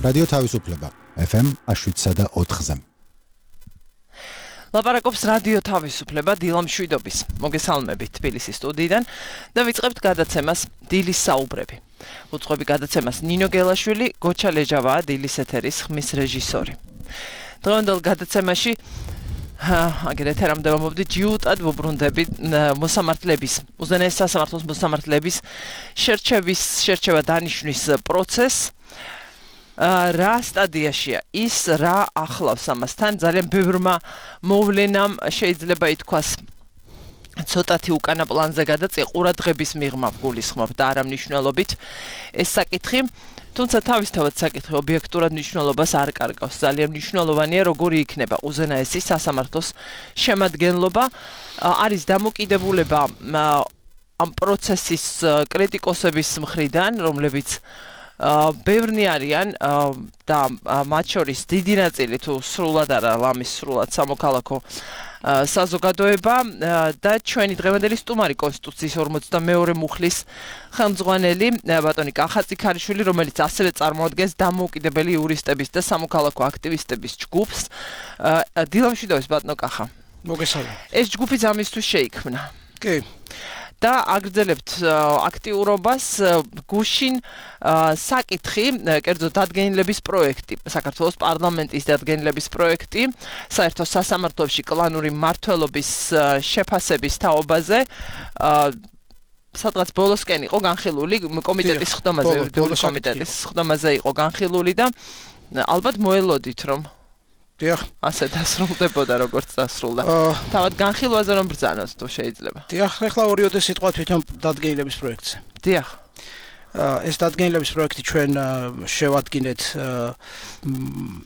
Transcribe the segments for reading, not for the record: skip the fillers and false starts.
რადიო თავისუფლება FM 107.4-ზე. ლაპარაკობს რადიო თავისუფლება დილა მშვიდობის. მოგესალმებით თბილისის სტუდიიდან და ვიწყებთ გადაცემას დილის საუბრები. უწყობი გადაცემას ნინო გელაშვილი, გოჩა ლეჯავაა დილის ეთერის ხმის რეჟისორი. დღევანდელ გადაცემაში აგერეთ რამდა მომობდი ჯიუტად ვუბრუნდები მოსამართლების, უზენაეს სასამართლოს მოსამართლების შერჩევა დანიშვნის პროცესს. რა სტადიაშია ის, რა ახლავს ამასთან, ძალიან ბევრმა მოვლენამ შეიძლება ითქვას ცოტათი უკანა პლანზე გადაწია ყურადღების მიღმა გულისხმობ და არა მნიშვნელობით ეს საკითხი, თუმცა თავისთავად საკითხი ობიექტურად მნიშვნელობას არ კარგავს. ძალიან მნიშვნელოვანია როგორი იქნება უზენაესი სასამართლოს შემადგენლობა, არის დამოკიდებულება ამ პროცესის კრიტიკოსების მხრიდან, რომლებიც ბევრნი არიან და მათ შორის დიდი ნაწილი თუ სრულად არა ლამის სრულად სამოქალაქო საზოგადოება და ჩვენი დღევანდელი სტუმარი კონსტიტუციის 42 მუხლის ხელმძღვანელი ბატონი კახაძე ქარიშვილი, რომელიც ასევე წარმოადგენს დამოუკიდებელი იურისტების და სამოქალაქო აქტივისტების ჯგუფს. დილა მშვიდობის ბატონო კახა. მოგესალმებით. ეს ჯგუფი ამისთვის შეიქმნა. კი. და აგრძელებთ აქტიურობას გუშინ საკითხი, კერძო დადგენილების პროექტი, საქართველოს პარლამენტის დადგენილების პროექტი, საერთო სასამართლოში კლანური მმართველობის შეფასების თაობაზე, სადღაც ბოლოსკენ იყო განხილული კომიტეტის ხდომაზე, კომიტეტის ხდომაზე იყო განხილული და ალბათ მოელოდით რომ დიახ, ასე დასრულდებოდა როგორც დასრულდა. თავად განხილვაზე რომ ბრძანოთ თუ შეიძლება. დიახ, ახლა ორიოდე სიტყვა თვითონ დადგენილების პროექტზე. დიახ. ეს დადგენილების პროექტი ჩვენ შევადგინეთ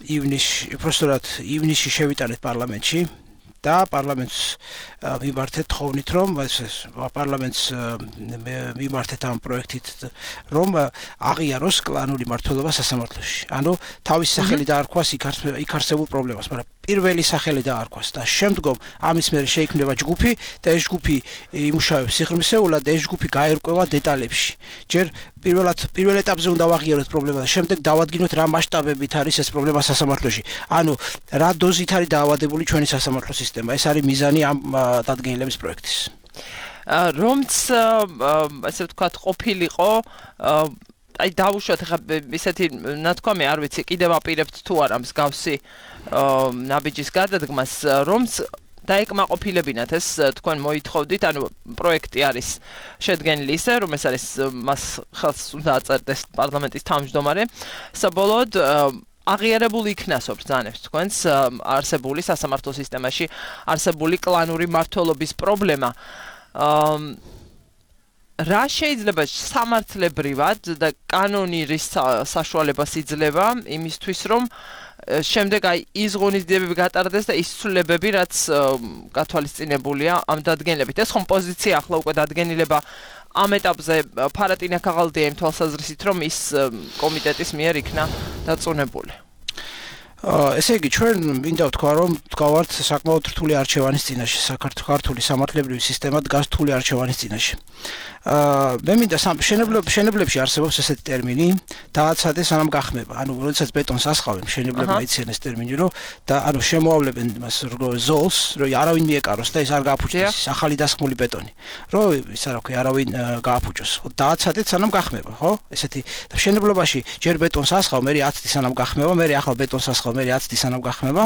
ივნისში შევიტანეთ პარლამენტში და პარლამენტს მიმართეთ თხოვნით რომ პარლამენტს მიმართეთ ამ პროექტით რომ აღიაროს კლანური მმართველობა სასამართლოში. ანუ თავისი სახელი დაარქვას იქ არსებულ პრობლემას, მაგრამ პირველი სახელი დაარქვას და შემდგომ ამის მერე შეიქმნება ჯგუფი და ეს ჯგუფი იმუშავებს სიღრმისეულად და ეს ჯგუფი გაერკვევა დეტალებში. ჯერ პირველ ეტაპზე უნდა ვაღიაროთ პრობლემა და შემდეგ დავადგინოთ რა მასშტაბებით არის ეს პრობლემა სასამართლოში. ანუ რა დოზით არის დაავადებული ჩვენი სასამართლო სისტემა. ეს არის მიზანი ამ დადგენილების პროექტის. რომც ასე ვთქვათ ყოფილიყო აი დავუშვათ ხა ისეთი ნათქვამი არ ვიცი კიდევ აპირებთ თუ არა მსგავსი ნაბიჯის გადადგმას რომც დაეკმაყოფილებინათ ეს თქვენ მოითხოვდით, ანუ პროექტი არის შედგენილი ისე, რომ ეს არის მას ხელს უნდა აწერდეს პარლამენტის თავმჯდომარე, საბოლოოდ აღიარებული იქნასო ბრძანებს თქვენს არსებული სასამართლო სისტემაში არსებული კლანური მმართველობის პრობლემა. რა შეიძლება სამართლებრივად და კანონის საშუალებას იძლევა იმისთვის, რომ შემდეგ აი ის ღონისძიებები გატარდეს და ის ცვლილებები, რაც გათვალისწინებულია ამ დადგენილებით. ეს ხომ პოზიცია ახლა უკვე დადგენილება ამ ეტაპზე ფარატინა ქაღალდია იმ თვალსაზრისით, რომ ის კომიტეტის მიერ იქნა დაწუნებული. ესე იგი, ჩვენ მინდა ვთქვა, რომ ვდგავართ საკმაოდ რთული არჩევანის წინაშე. საქართველოს სამართლებრივი სისტემა დგას რთული არჩევანის წინაშე. მე მინდა მშენებლებში არსებობს ესეთი ტერმინი დააცადე სანამ გახმება. ანუ როდესაც ბეტონს ასხავენ, მშენებლებმა იციან ეს ტერმინი, რომ და ანუ შემოავლებენ იმას ზოლს, რომ არავინ მიეკაროს და ეს არ გააფუჭდეს, ახალი დასხმული ბეტონი. რომ ის რა ქვია, არავინ გააფუჭოს. დააცადეთ სანამ გახმება, ხო? ესეთი და მშენებლობაში ჯერ ბეტონს ასხავ, მე 10 წუთი სანამ გახმება, მე ახალ ბეტონს ასხავ, მე 10 წუთი სანამ გახმება.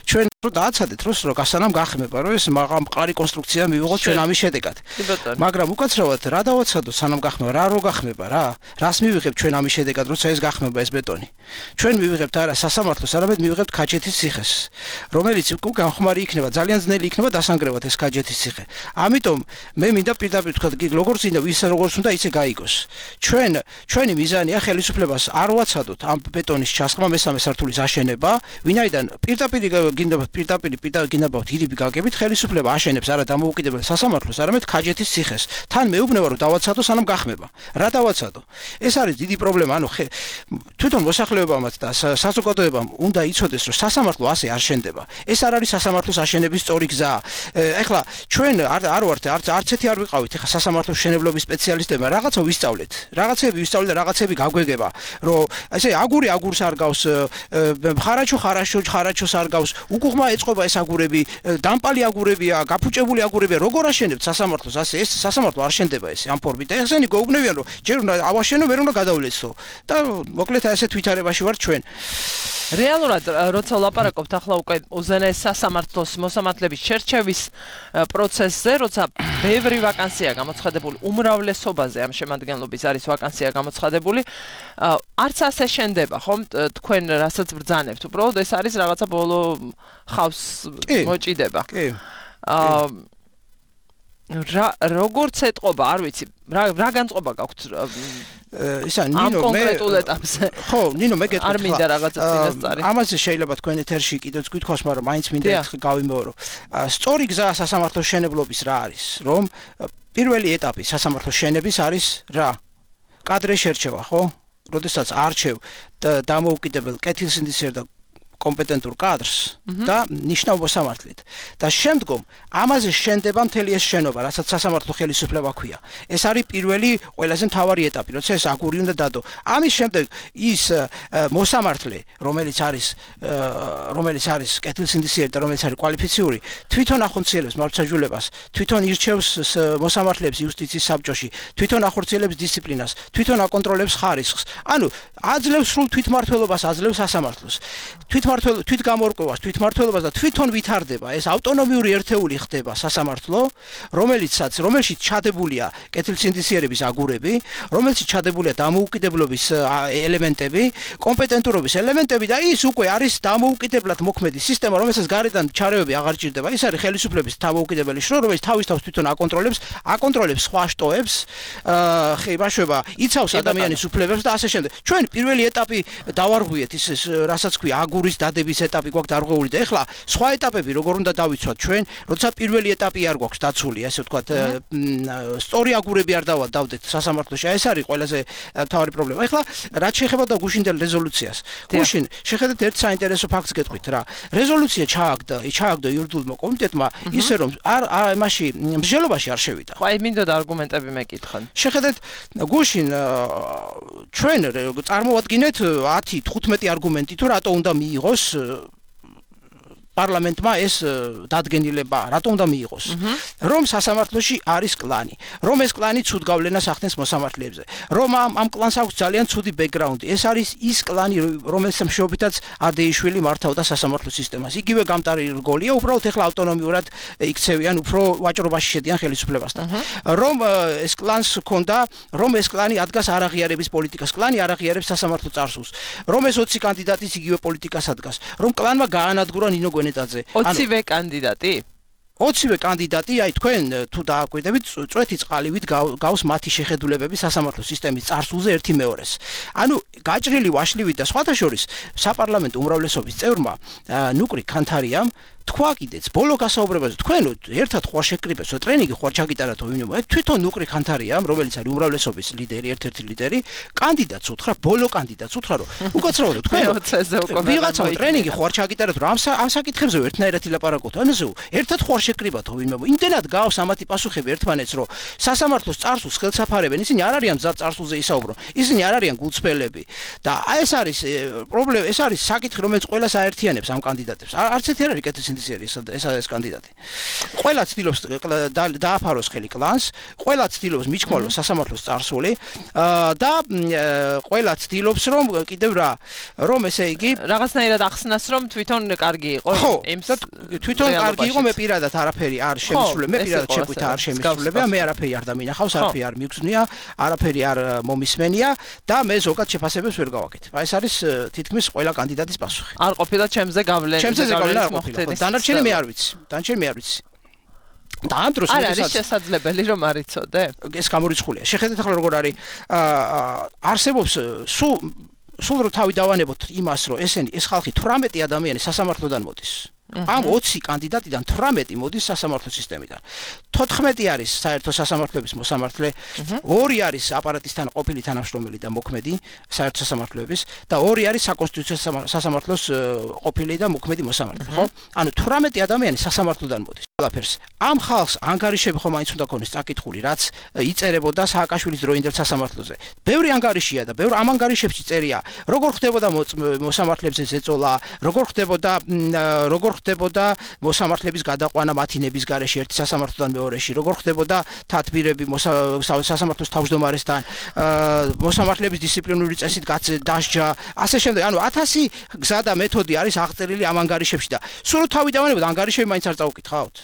ჩვენ რომ დააცადეთ დროს რომ სანამ გახმება, რომ ეს მყარი კონსტრუქცია მივიღოთ ჩვენ ამის შედეგად. მაგრამ უკაცრავად რა დავაცადოთ სანამ გახმება, რა რო გახმება რა? რას მივიღებთ ჩვენ ამის შედეგად, როცა ეს გახმება ეს ბეტონი? ჩვენ მივიღებთ არა სასამართლოს, არამედ მივიღებთ ქაჯეთის ციხეს, რომელიც განხმარი იქნება, ძალიან ძნელი იქნება დასანგრევად ეს ქაჯეთის ციხე. ამიტომ მე მინდა პირდაპირ თქვა, როგორც უნდა ის როგორც უნდა ისე გაიგოს. ჩვენი მიზანია ხელისუფლებას არ ვაცადოთ ამ ბეტონის ჩასხმა მესამე სართულის აშენება ხელისუფლება, ვინაიდან პირდაპირ გინდა დიდიბი გაგებით ხელისუფლება აშენებს არა დამოუკიდებელ სასამართლოს, არამედ ქაჯეთის ციხეს. თან მეუბნება რომ დავაცადო სანამ გახმება. რა დავაცადო? ეს არის დიდი პრობლემა, ანუ თვითონ მოსახლეობამაც და საზოგადოებამ უნდა იცოდეს რომ სასამართლო ასე არ შენდება. ეს არ არის სასამართლოს აშენების სწორი გზა. ეხლა ჩვენ არ ვართ არც ერთი არ ვიყავით ეხლა სასამართლოს მშენებლობის სპეციალისტებმა რაღაცა ვისწავლეთ. რაღაცები ვისწავლეთ და რაღაცები გაგვეგება, რომ ესე აგური აგურს არ გავს, ხარაჩოს არ გავს, უკუღმა ეწყობა ეს აგურები, დამპალი აგურებია, გაფუჭებული აგურებია, როგორ აშენებთ სასამართლოს ასე? ეს სასამართლო არ შენდება ესე ამ ფორმით. და ესენი გეუბნებიან რომ ჯერ უნდა ავაშენო, ვერ უნდა გადავლეცო. და მოკლედ ასე თვითარებაში ვარ ჩვენ. რეალურად როცა ვლაპარაკობთ ახლა უკვე უზენაეს სასამართლოს მოსამართლების შერჩევის პროცესზე, როცა ბევრი ვაკანსია გამოცხადებული, უმრავლესობაზე ამ შემადგენლობის არის ვაკანსია გამოცხადებული, არც ასე შენდება, ხომ? თქვენ რასაც ბრძანებთ, უბრალოდ ეს არის რაღაცა ბოლო ხავს მოჭიდება. კი. როგორც ეთყობა, არ ვიცი, რა განწყობა გაქვთ ისა ნინო მე კონკრეტულ ეტაპზე. ხო, ნინო მე გეტყვი. არ მინდა რაღაცა წინასწარი. ამაზე შეიძლება თქვენ ეთერში კიდევ გითხოვს, მაგრამ მაინც მინდა ერთხელ გავიმეორო. სწორი გზა სასამართლოს შენებლობის რა არის? რომ პირველი ეტაპი სასამართლოს შენების არის რა? კადრე შერჩევა, ხო? როდესაც არჩევ დამოუკიდებელ კეთილსინდისიერ და კომპეტენტურ კადრს და ნიშნავ მოსამართლედ. და შემდგომ ამაზე შენდება მთელი ეს შენობა, რასაც სასამართლო ხელისუფლება ქვია. ეს არის პირველი ყველაზე მთავარი ეტაპი, როცა ეს აგური უნდა დადო. ამის შემდეგ ის მოსამართლე, რომელიც არის კეთილსინდისიერი და რომელიც არის კვალიფიციური, თვითონ ახორციელებს მართლმსაჯულებას, თვითონ ირჩევს მოსამართლეებს იუსტიციის საბჭოში, თვითონ ახორციელებს დისციპლინას, თვითონ აკონტროლებს ხარისხს. ანუ აძლევს სრულ თვითმმართველობას, აძლევს სასამართლოს. თვითგამორკვევას, თვითმმართველობას და თვითონ ვითარდება ეს ავტონომიური ერთეული ხდება სასამართლო, რომელშიც ჩადებულია კეთილსინდისიერების აგურები, რომელშიც ჩადებულია დამოუკიდებლობის ელემენტები, კომპეტენტურობის ელემენტები და ის უკვე არის დამოუკიდებლად მოქმედი სისტემა, რომელსაც გარედან ჩარევები აღარ ჭირდება. ის არის ხელისუფლების დამოუკიდებელი შრო, რომელიც თავის თვითონ აკონტროლებს სხვა შტოებს, ხეიბაშობა, იცავს ადამიანის უფლებებს და ასე შემდეგ. ჩვენ პირველი ეტაპი დავარღვიეთ ის რასაც ქვია აგურის დადების ეტაპი გვაქვს დარღვეული და ეხლა სხვა ეტაპები როგორ უნდა დავიცვათ ჩვენ, როცა პირველი ეტაპი არ გვაქვს დაცული, ასე ვთქვათ, სწორი აგურები არ დავდეთ სასამართლოში. ეს არის ყველაზე მთავარი პრობლემა. ეხლა რაც შეეხება და გუშინდელ რეზოლუციას. გუშინ შეხედეთ ერთ საინტერესო ფაქტს გეტყვით რა. რეზოლუცია ჩააგდო იურიდიულმა კომიტეტმა ისე რომ იმაში მსჯელობაში არ შევიდა. ხო, აი მინდოდა არგუმენტები მეკითხან. შეხედეთ გუშინ ჩვენ წარმოვადგინეთ 10-15 არგუმენტი თუ რატო უნდა მიიღოს პარლამენტმა ეს დადგენილება, რატომ უნდა მიიღოს? რომ სასამართლოში არის კლანი, რომ ეს კლანი ცუდ გავლენას ახდენს მოსამართლეებზე, რომ ამ კლანს აქვს ძალიან ცუდი ბექგრაუნდი. ეს არის ის კლანი, რომელსაც მეშვეობითაც ადეიშვილი მართავდა სასამართლო სისტემას. იგივე გამტარი რგოლია, უბრალოდ ეხლა ავტონომიურად იქცევიან, უფრო ვაჭრობაში შედიან ხელისუფლებასთან. რომ ეს კლანს ჰქონდა, რომ ეს კლანი ადგას არაღიარების პოლიტიკას, კლანი არაღიარებს სასამართლო წარსულს, რომ ეს 20 კანდიდატის იგივე პოლიტიკას ადგას, რომ კლანმა გაანადგურა ნინო 20-ვე კანდიდატი? 20-ვე კანდიდატი, აი თქვენ თუ დააკვირდებით, წვეთი წყალივით გავს მათი შეხედულებები სასამართლო სისტემის წარსულზე 1/2-ს. ანუ გაჭრილი ვაშლივით და სხვათა შორის საპარლამენტო უმრავლესობის წევრმა ნუკრი ქანთარიამ თქვა კიდეც ბოლო გასაუბრებაზე თქვენ ერთად ხوار შეკრიბებსო ტრენინგი ხوار ჩაგიტარათო ვინმე თვითონ ნუკრი ქანთარიამ რომელიც არის უმრავლესობის ლიდერი ერთ-ერთი ლიდერი კანდიდატს უთხრა ბოლო კანდიდატს უთხრა რომ უკაცრავად თქვენ ვიღაცა ტრენინგი ხوار ჩაგიტარათო ამ საკითხებზე ერთნაირად ილაპარაკოთ ანაზე ერთად ხوار შეკრიბათო ვინმე იმდენად გავს ამათი პასუხები ერთმანეთს რომ სასამართლოს წარსულს ხელსაფარებენ ისინი არ არიან მზად წარსულზე ისაუბრო ისინი არ არიან გულწრფელები და ეს არის პრობლემა ეს არის საკითხი რომელიც ყველას აერთიანებს ამ კანდიდატებს არც ერთი არ არის ეს კანდიდატი. ყველა ცდილობს დააფაროს ხელი კლანს, ყველა ცდილობს მიჩქმოლოს სასამართლოს წარსული და ყველა ცდილობს რომ კიდევ რომ ესე იგი რაღაცნაირად ახსნას რომ თვითონ კარგი იყო იმ თვითონ კარგი იყო მე პირადად არაფერი არ შემისრულებ მე პირადად შეგვით არ შემისრულებია მე არაფერი არ დამინახავს არაფერი არ მიგზნია არაფერი არ მომისმენია და მე ზოგად შეფასებებს ვერ გავაკეთებ. აი ეს არის თითქმის ყველა კანდიდატის პასუხი. არ ყოფილა ჩემზე გავლენა დანარჩენი მე არ ვიცი. და ამ დროს არ არის შესაძლებელი რომ არ იცოდე? ეს გამორიცხულია. შეხედეთ ახლა როგორ არის არსებობს სულ სულ რო თავი დავანებოთ იმას, რომ ეს ხალხი 18 ადამიანი სასამართლოდან მოდის. Am 20 კანდიდატიდან 18 მოდის სასამართლო სისტემიდან. 14 არის საერთო სასამართლოების მოსამართლე, 2 არის აპარატისთან ყოფილი თანამშრომელი და მოქმედი საერთო სასამართლოების და 2 არის საკონსტიტუციო სასამართლოს ყოფილი და მოქმედი მოსამართლე, ხო? ანუ 18 ადამიანი სასამართლოდან მოდის. ყველაფერს ამ ხალხს ანგარიშები ხომ მაინც უნდა ქონდეს წაკითხული, რაც იწერებოდა სააკაშვილის დროინდელ სასამართლოზე. ბევრი ანგარიშია და ბევრ ამ ანგარიშებში წერია, როგორ ხდებოდა მოსამართლეებზე ზეწოლა, როგორ ხდებოდა მოსამართლების გადაყვანა მათინების გარეშე ერთი სასამართლოდან მეორეში, როგორ ხდებოდა თათბირები სასამართლოს თავმჯდომარესთან, მოსამართლების დისციპლინური წესით დასჯა, ასე შემდეგ. ანუ 1000 გზა და მეთოდი არის აღწერილი ამ ანგარიშებში და სულ თავი დავანებოთ, ანგარიშები მაინც არ წავუკითხავთ.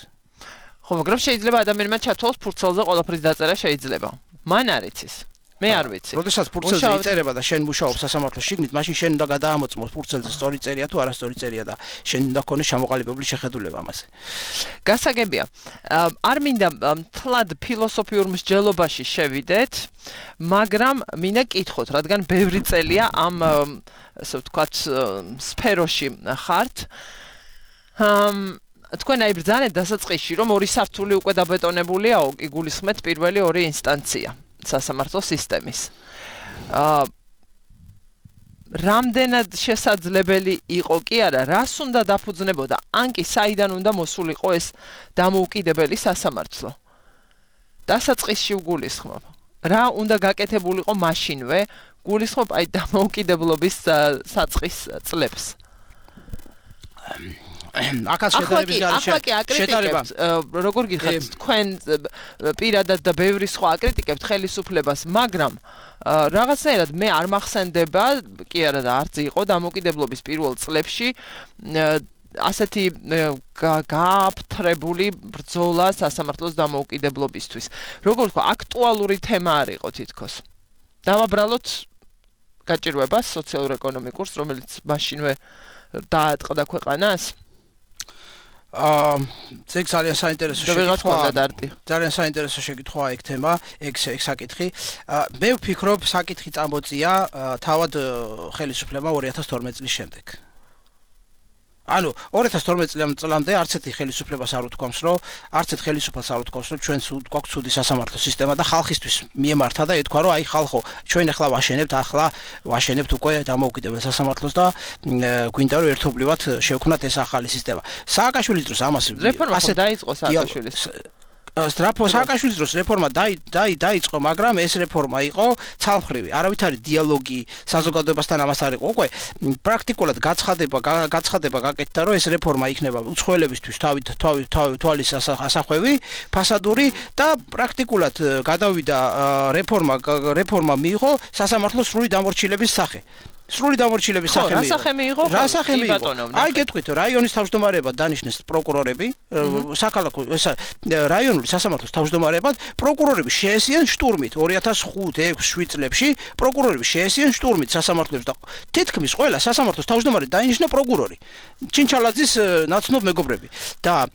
ხო, მაგრამ შეიძლება ადამიანმა ჩათვალოს ფურცელზე ყველაფრის დაწერა შეიძლება. მან არ იცის. მე არ ვიცი. როდესაც ფურცელზე იწერება და შენ მუშაობ სასამართლოს შიგნით, მაშინ შენ უნდა გადაამოწმოს ფურცელზე სწორი წერია თუ არასწორი წერია და შენ უნდა გქონდეს ჩამოყალიბებული შეხედულება ამაზე. გასაგებია. არ მინდა მთლად ფილოსოფიურ მსჯელობაში შევიდეთ, მაგრამ მინდა კითხოთ, რადგან ბევრი წელია ამ ასე ვთქვათ სფეროში ხართ. თქვენ აი ბრძანეთ დასაწყისში, რომ 2 სართული უკვე დაბეტონებულია, იგულისხმეთ პირველი 2 ინსტანცია სასამართლო სისტემის. რამდენად შესაძლებელი იყო კი არა, რას უნდა დაფუძნებოდა, ან კი საიდან უნდა მოსულიყო ეს დამოუკიდებელი სასამართლო. დასაწყისში გულისხმობ. რა უნდა გაკეთებულიყო მაშინვე, გულისხმობ აი დამოუკიდებლობის საწყის წლებს. აკაც შედარების გარეშე შედარება როგორ გიხართ თქვენ პირადად და ბევრი სხვა აკრიტიკებთ ხელისუფლებას, მაგრამ რაღაცნაირად მე არ მახსენდება, კი არა და არც იყო დამოუკიდებლობის პირველ წლებში ასეთი გააფთრებული ბრძოლა სასამართლოს დამოუკიდებლობისთვის. Როგორ თქვა, აქტუალური თემა არ იყო თითქოს. დავაბრალოთ გაჭირვებას სოციალურ-ეკონომიკურს, რომელიც მაშინვე დაატყდა ქვეყანას. ეგ ძალიან საინტერესო შეკითხვაა. ძალიან საინტერესო შეკითხვაა ეგ თემა, ეგ საკითხი. მე ვფიქრობ, საკითხი წამოწია თავად ხელისუფლებამ 2012 წლის შემდეგ. ანუ 2012 წლამდე არც ერთი ხელისუფლებას არ უთქვამს, რომ არც ერთ ხელისუფალს არ უთქვამს, რომ ჩვენ გვაქვს ცუდი სასამართლო სისტემა და ხალხისთვის მიემართა და ეთქვა, რომ აი ხალხო, ჩვენ ახლა ვაშენებთ უკვე დამოუკიდებელ სასამართლოს და გვინდა რომ ერთობლივად შევქმნათ ეს ახალი სისტემა. სააკაშვილის დროს ამას რეფორმა დაიწყო სააკაშვილის. სააკაშვილის დროს რეფორმა დაიწყო, მაგრამ ეს რეფორმა იყო ცალმხრივი. არავითარი დიალოგი საზოგადოებასთან ამას არ იყო. უკვე პრაქტიკულად გაცხადება გაკეთდა, რომ ეს რეფორმა იქნება უცხოელებისთვის თვალის ასახვევი, ფასადური და პრაქტიკულად გადავიდა რეფორმა მიიღო სასამართლოს სრული დამორჩილების სახე. სრული დამორჩილების სახე მიიღო. რა სახე მიიღო? რა სახე მიიღო? აი გეტყვით, რაიონის თავმჯდომარეებად დანიშნეს პროკურორები, საქალაქო რაიონული სასამართლოს თავმჯდომარეებად პროკურორები შეესიან შტურმით 2005-6-7 წლებში პროკურორები შეესიან შტურმით სასამართლოებს და თითქმის ყველა სასამართლოს თავმჯდომარე დაინიშნა პროკურორი. ჩინჩალაძის ნაცნობ მეგობრები. და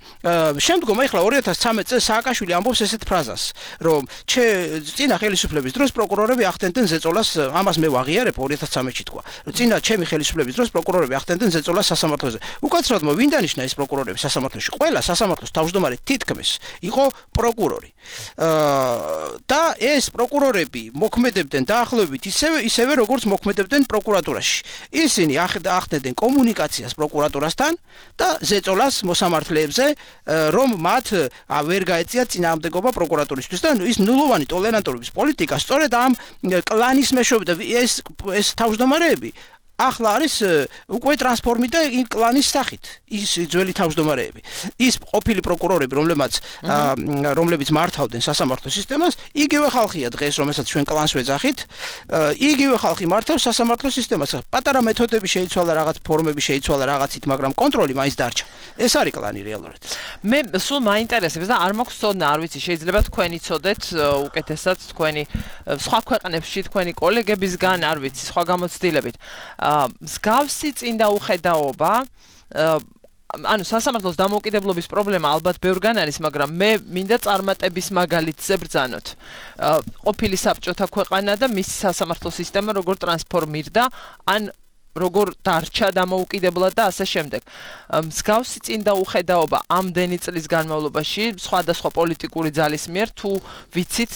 შემდგომ ახლა 2013 წელს სააკაშვილი ამბობს ესეთ ფრაზას, რომ წინა ხელისუფლების დროს პროკურორები ახდენდნენ ზეწოლას, ამას მე ვაღიარებ 2013-ში თქვა. წინა ჩემი ხელისუფლების დროს პროკურორები ახდენდნენ ზეწოლას სასამართლოზე. უკაცრავად ვინ დანიშნა ეს პროკურორები სასამართლოში? ყველა სასამართლოს თავმჯდომარე თითქმის იყო პროკურორი. და ეს პროკურორები მოქმედებდნენ დაახლოებით ისევე როგორც მოქმედებდნენ პროკურატურაში. ისინი ახდენდნენ კომუნიკაციას პროკურატურასთან და ზეწოლას მოსამართლეებზე, რომ მათ ვერ გაეწიათ წინააღმდეგობა პროკურატურისთვის და ის ნულოვანი ტოლერანტობის პოლიტიკა სწორედ ამ კლანის მეშვეობით ეს თავმჯდომარეები ახლა არის უკვე ტრანსფორმირდა კლანის სახით. ის ძველი თავმჯდომარეები. ის ყოფილი პროკურორები, რომლებიც მართავდნენ სასამართლო სისტემას, იგივე ხალხია დღეს, რომელსაც ჩვენ კლანს ვეძახით, იგივე ხალხი მართავს სასამართლო სისტემას. პატარა მეთოდები შეიცვალა, რაღაც ფორმები შეიცვალა რაღაცით, მაგრამ კონტროლი მაინც დარჩა. ეს არის კლანი რეალურად. მე სულ მაინტერესებს და არ მაქვს ცოდნა, არ ვიცი, შეიძლება თქვენი ცოდეთ უკეთესად თქვენი სხვა ქვეყნებში თქვენი კოლეგებისგან, არ ვიცი, სხვა გამოცდილებით. მსგავსი წინდაუხედაობა ანუ სასამართლოს დამოუკიდებლობის პრობლემა ალბათ ბევრგან არის, მაგრამ მე მინდა წარმატების მაგალითზე ბრძანოთ. ყოფილი საბჭოთა ქვეყანა და მისი სასამართლო სისტემა როგორ ტრანსფორმირდა, ან როგორ დარჩა დამოუკიდებლად და ასე შემდეგ. მსგავსი წინდაუხედაობა ამდენი წლის განმავლობაში სხვადასხვა პოლიტიკური ძალის მიერ თუ ვიცით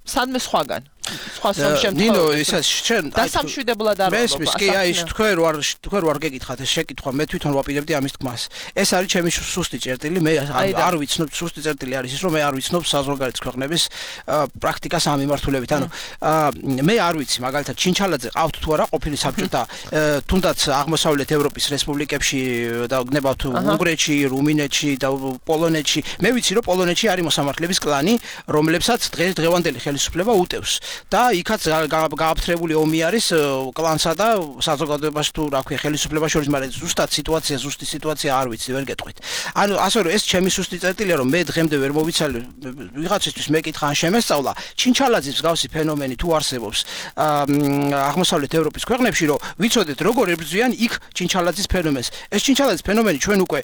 სადმე სხვაგან სხვა ნინო ისა შენ დასამშვიდებლად არ მესმის კი აი თქვენ ვარ გეკითხათ ეს შეკითხვა მე თვითონ ვაპირებდი ამის თქმას ეს არის ჩემი სუსტი წერტილი მე არ ვიცნობ სუსტი წერტილი არის ის რომ მე არ ვიცნობ საზღვარგარეთ ქვეყნების პრაქტიკას ამ მიმართულებით ანუ მე არ ვიცი მაგალითად ჩინჩალაძე ყავთ თუ არა ყოფილი საბჭოთა თუნდაც აღმოსავლეთ ევროპის რესპუბლიკებში და გნებავთ უნგრეთში რუმინეთში და პოლონეთში მე ვიცი რომ პოლონეთში არის მოსამართლეების კლანი რომლებსაც დღევანდელი ხელისუფლება უტევს და იქაც გააფთრებული ომი არის კლანსა და საზოგადოებაში თუ რა ქვია ხელისუფლებას შორის, მაგრამ ზუსტი სიტუაცია არ ვიცი, ვერ გეტყვით. ანუ ასე რომ ეს ჩემი სუსტი წერტილია, რომ მე დღემდე ვერ მოვიცალე ვიღაცისთვის მეკითხა ან შემესწავლა, ჩინჩალაძის მსგავსი ფენომენი თუ არსებობს აღმოსავლეთ ევროპის ქვეყნებში, რომ ვიცოდეთ როგორ ებრძვიან იქ ჩინჩალაძის ფენომენს. ეს ჩინჩალაძის ფენომენი ჩვენ უკვე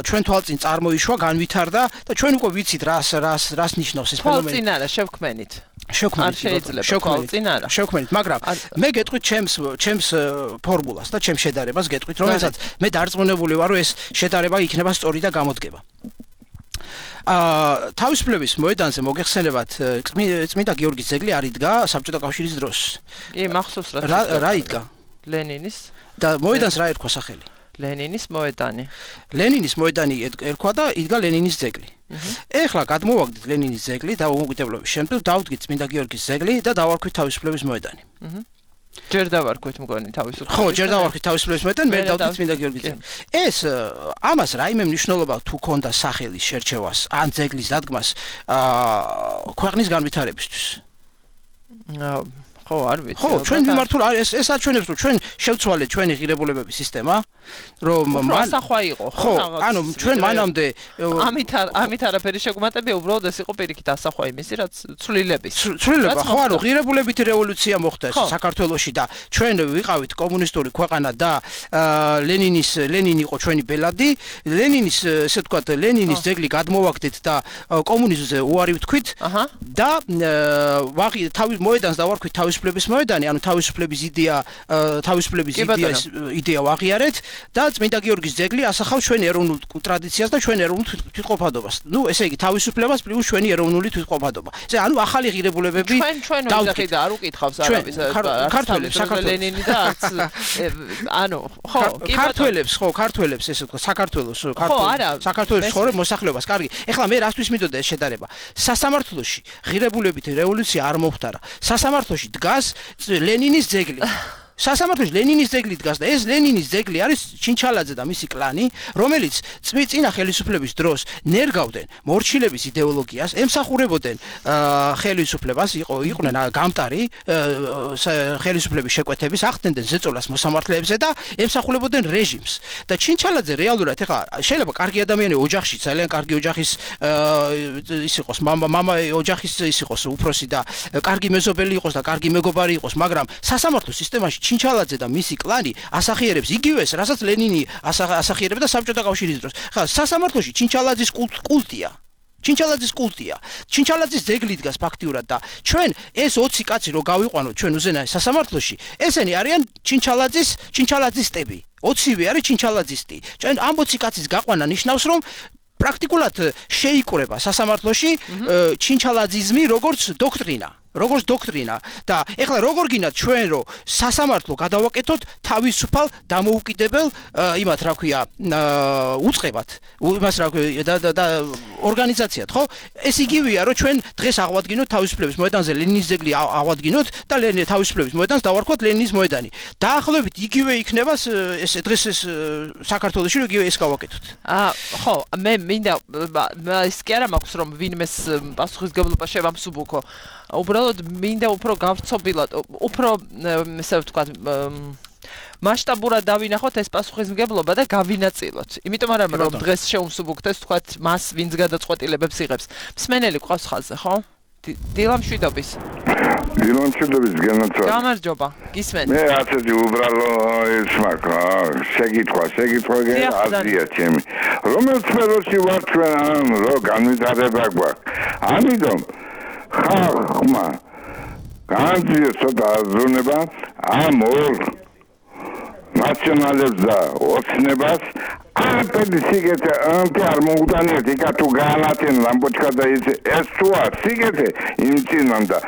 ჩვენ თვალწინ წარმოიშვა, განვითარდა და ჩვენ უკვე ვიცით რას ნიშნავს ეს ფენომენი. თვალწინ არა, შევქმენით. შევქმენით, მაგრამ მე გეტყვით ჩემს ფორმულას და ჩემს შედარებას გეტყვით, რომელსაც მე დარწმუნებული ვარ, რომ ეს შედარება იქნება სწორი და გამოდგება. თავისუფლების მოედანზე მოგეხსენებათ წმინდა გიორგის ძეგლი არ იდგა საბჭოთა კავშირის დროს. კი, მახსოვს რა იდგა? ლენინის და მოედანს რა ერქვა სახელი? ლენინის მოედანი. ლენინის მოედანი ერქვა და იდგა ლენინის ძეგლი. ეხლა გადმოვაგდით ლენინის ძეგლი და უმოგიდებლობის შემდეგ დავდგით წმინდა გიორგის ძეგლი და დავარქვით თავისუფლების მოედანი. ჯერ დავარქვით მგონი თავისუფლების. ხო, ჯერ დავარქვით თავისუფლების მოედანი, მე დავდგით წმინდა გიორგის ძეგლი. ეს ამას რაიმე მნიშვნელობა თუ ქონდა სახელის შერჩევას ან ძეგლის დადგმას ქვეყნის განვითარებისთვის? ხო, არ ვიცი. ხო, ჩვენ მიმართულ ეს აჩვენებს, რომ ჩვენ შევცვალეთ ჩვენი ღირებულებების სისტემა, რომ ასახვა იყო, ხო, ანუ ჩვენ მანამდე ამით არაფერი შეგვმატებია, უბრალოდ ეს იყო პირიქით ასახვა იმისი, რაც ცვლილების. ცვლილება, ხო, ანუ ღირებულებითი რევოლუცია მოხდა საქართველოში და ჩვენ ვიყავით კომუნისტური ქვეყანა და ლენინი იყო ჩვენი ბელადი, ლენინის, ესე ვთქვათ, ლენინის ძეგლი გადმოვაგდეთ და კომუნიზმზე უარი ვთქვით და მოედანს დავარქვით თავისუფლების მოედანი, ანუ თავისუფლების იდეა ვაღიარეთ და წმინდა გიორგის ძეგლი ასახავს ჩვენ ეროვნულ ტრადიციას და ჩვენ ეროვნულ თვითყოფადობას. ნუ ესე იგი თავისუფლებას პლუს ჩვენი ეროვნული თვითყოფადობა. ესე ანუ ახალი ღირებულებები ჩვენ ვიზახი და არ უკითხავს არავის ქართველებს ლენინი და არც ანუ ხო ქართველებს ესე ვთქვა საქართველოს ხორე მოსახლეობას. კარგი. ეხლა მე რასთვის მინდოდა ეს შედარება? სასამართლოში ღირებულებითი რევოლუცია არ მომხდარა. სასამართლოში დგას ლენინის ძეგლი. სასამართლოში ლენინის ძეგლი დგას და ეს ლენინის ძეგლი არის ჩინჩალაძე და მისი კლანი, რომელიც წინა ხელისუფლების დროს ნერგავდნენ მორჩილების იდეოლოგიას, ემსახურებოდნენ ხელისუფლებას, იყვნენ გამტარი ხელისუფლების შეკვეთების, ახდენდნენ ზეწოლას მოსამართლეებზე და ემსახურებოდნენ რეჟიმს. და ჩინჩალაძე რეალურად ეხლა შეიძლება კარგი ადამიანი ოჯახში, ძალიან კარგი ოჯახის ის იყოს, მამა ოჯახის ის იყოს უფროსი და კარგი მეზობელი იყოს და კარგი მეგობარი იყოს, მაგრამ სასამართლო სისტემაში ჩინჩალაძე და მისი კლანი ასახიერებს იგივეს, რასაც ლენინი ასახიერებდა საბჭოთა კავშირის დროს. ხა სასამართლოში ჩინჩალაძის კულტია. ჩინჩალაძის ძეგლი დგას ფაქტიურად და ჩვენ ეს 20 კაცი რო გავიყვანოთ ჩვენ უზენაეს სასამართლოში, ესენი არიან ჩინჩალაძისტები. 20-ვე არის ჩინჩალაძისტი. ჩვენ ამ 20 კაცის გაყვანა ნიშნავს, რომ პრაქტიკულად შეიკრება სასამართლოში ჩინჩალაძიზმი როგორც დოქტრინა და ეხლა როგორ გინდათ ჩვენ რომ სასამართლო გადავაკეთოთ თავისუფალ დამოუკიდებელ იმათ რა ქვია უწყებად იმას რა ქვია და ორგანიზაციად ხო ეს იგივეა რომ ჩვენ დღეს აღვადგინოთ თავისუფლების მოედანზე ლენინის ძეგლი აღვადგინოთ და თავისუფლების მოედანს დავარქვათ ლენინის მოედანი დაახლოებით იგივე იქნება ეს დღეს ეს საქართველოში იგივე ეს გავაკეთოთ ხო მე მინდა ის კი არა მაქვს რომ ვინმეს პასუხისგებლობა შევამსუბუქო უბრალოდ მინდა უფრო გავცობილად, უფრო ესე ვთქვათ, მასშტაბურად დავინახოთ ეს პასუხისმგებლობა და გავინაწილოთ. იმიტომ არა რომ დღეს შევუმსუბუქოთ ეს ვთქვათ მას ვინც გადაწყვეტილებებს იღებს. მსმენელი ყავს ხაზზე, ხო? დილამშვიდობის. დილამშვიდობის განაცვალე. გამარჯობა, გისმენთ. მე ასეთი უბრალო ის მაქვს, შეკითხვა აზია ჩემი. რომელ სფეროში ვარ ჩვენ რო განვითარება გვაქვს. ამიტომ ხალხმა განძიეს ცოტა აზროვნება ამ ორ ნაციონალებს და ოცნებას არაფერი სიგეთე არ მოგვდანიათ იქა თუ გაანათენ ლამპოჩკა და ეს თუ არ სიგეთე იმწინან და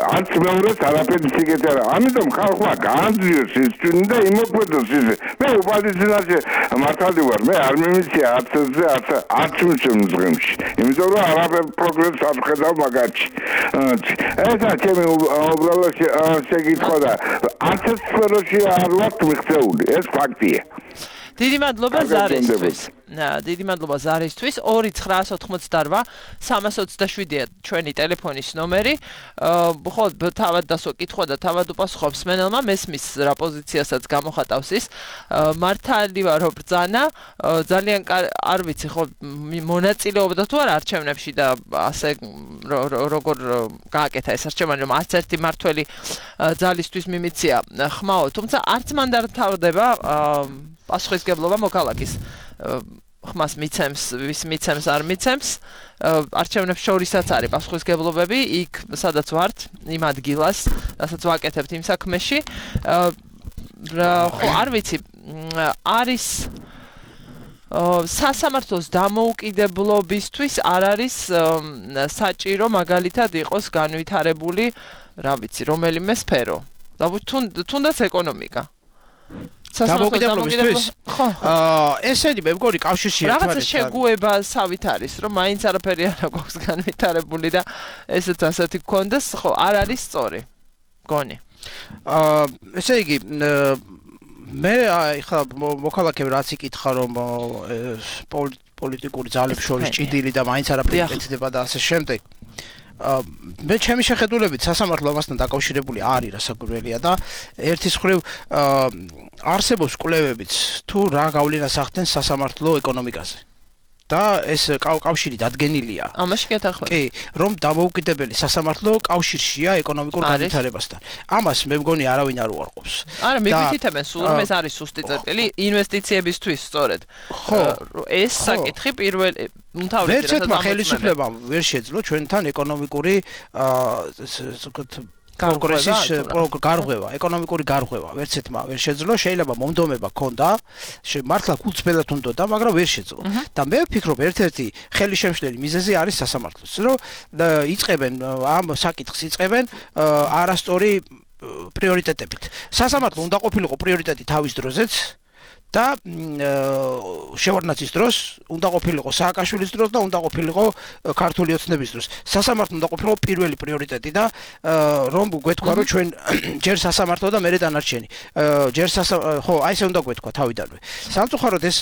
არც მეორეს არაფერი სიგეთე არა ამიტომ ხალხმა განძიეს ის ჩვენი და იმოქმედოს ისე მე ოპოზიციაში მართალი ვარ მე არ მიმიცია არც მზღემში იმიტომ რომ არაფერ პროგრესს არ ხედავ მაგაში ესა ჩემი უბრალოდ შეკითხვა და არც სფეროში არ ვართ მიღწეული ეს ფაქტია დიდი მადლობა ზარისთვის. დიდი მადლობა ზარისთვის. 2988 327-ია ჩვენი ტელეფონის ნომერი. ხო, თავად დასო კითხვა და თავად უპასუხობს მენელმა მესმის რა პოზიციასაც გამოხატავს ის. მართალი ვარ რო ბრძანა, ძალიან არ ვიცი ხო მონაწილეობდა თუ არა არჩევნებში და ასე როგორ გააკეთა ეს არჩევანი რომ არც ერთი მართველი ძალისთვის მიმიცია ხმაო, თუმცა არც მან დათავდება პასუხისგებლობა მოქალაქის ხმას მიცემს, ვის მიცემს, არ მიცემს. არჩევნებს შორისაც არის პასუხისგებლობები, იქ სადაც ვართ, იმ ადგილას, რასაც ვაკეთებთ იმ საქმეში. ხო, არ ვიცი, არის სასამართლოს დამოუკიდებლობისთვის არ არის საჭირო მაგალითად იყოს განვითარებული, რა ვიცი, რომელიმე სფერო. თუნდაც ეკონომიკა. დამოუკიდებლობისთვის ხო ესენი მე მგონი კავშირში ერთმანეთთან რაღაცა შეგუებასავით არის რომ მაინც არაფერი არ აქვს განვითარებული და ესეც ასეთი გქონდეს ხო არ არის სწორი გონი ესე იგი მე ხა მოქალაქემ რაც იკითხა რომ პოლიტიკური ძალებს შორის ჭიდილი და მაინც არაფერი ეკეთება და ასე შემდეგ მე ჩემი შეხედულებით სასამართლო ამასთან დაკავშირებული არის რასაკვირველია და ერთის მხრივ არსებობს კვლევებიც თუ რა გავლენას ახდენს სასამართლო ეკონომიკაზე და ეს კავშირი დადგენილია ამაში გეთახმებით კი რომ დამოუკიდებელი სასამართლო კავშირშია ეკონომიკურ განვითარებასთან ამას მე მგონი არავინ არ უარყოფს არა მიგვითითებენ სულ რომ ეს არის სუსტი წერტილი ინვესტიციებისთვის სწორედ ეს საკითხი პირველი ვერც ერთმა ხელისუფლებამ ვერ შეძლო ჩვენთან ეკონომიკური კონგრესის გარღვევა, ეკონომიკური გარღვევა, ვერც ერთმა ვერ შეძლო, შეიძლება მომდომება ქონდა, მართლა გულწრფელად უნდოდა, მაგრამ ვერ შეძლო. და მე ვფიქრობ, ერთ-ერთი ხელისშემშლელი მიზეზი არის სასამართლოს, რომ იწყებენ ამ საკითხს იწყებენ არასწორი პრიორიტეტებით. სასამართლო უნდა ყოფილიყო პრიორიტეტი თავის დროზეც და შევარდნაძის დროს უნდა ყოფილიყო სააკაშვილის დროს და უნდა ყოფილიყო ქართული ოცნების დროს. სასამართლო უნდა ყოფილიყო პირველი პრიორიტეტი და რომ გვეთქვა რომ ჩვენ ჯერ სასამართლო და მერე დანარჩენი. ჯერ ხო, აი ესე უნდა გვეთქვა თავიდანვე. სამწუხაროდ ეს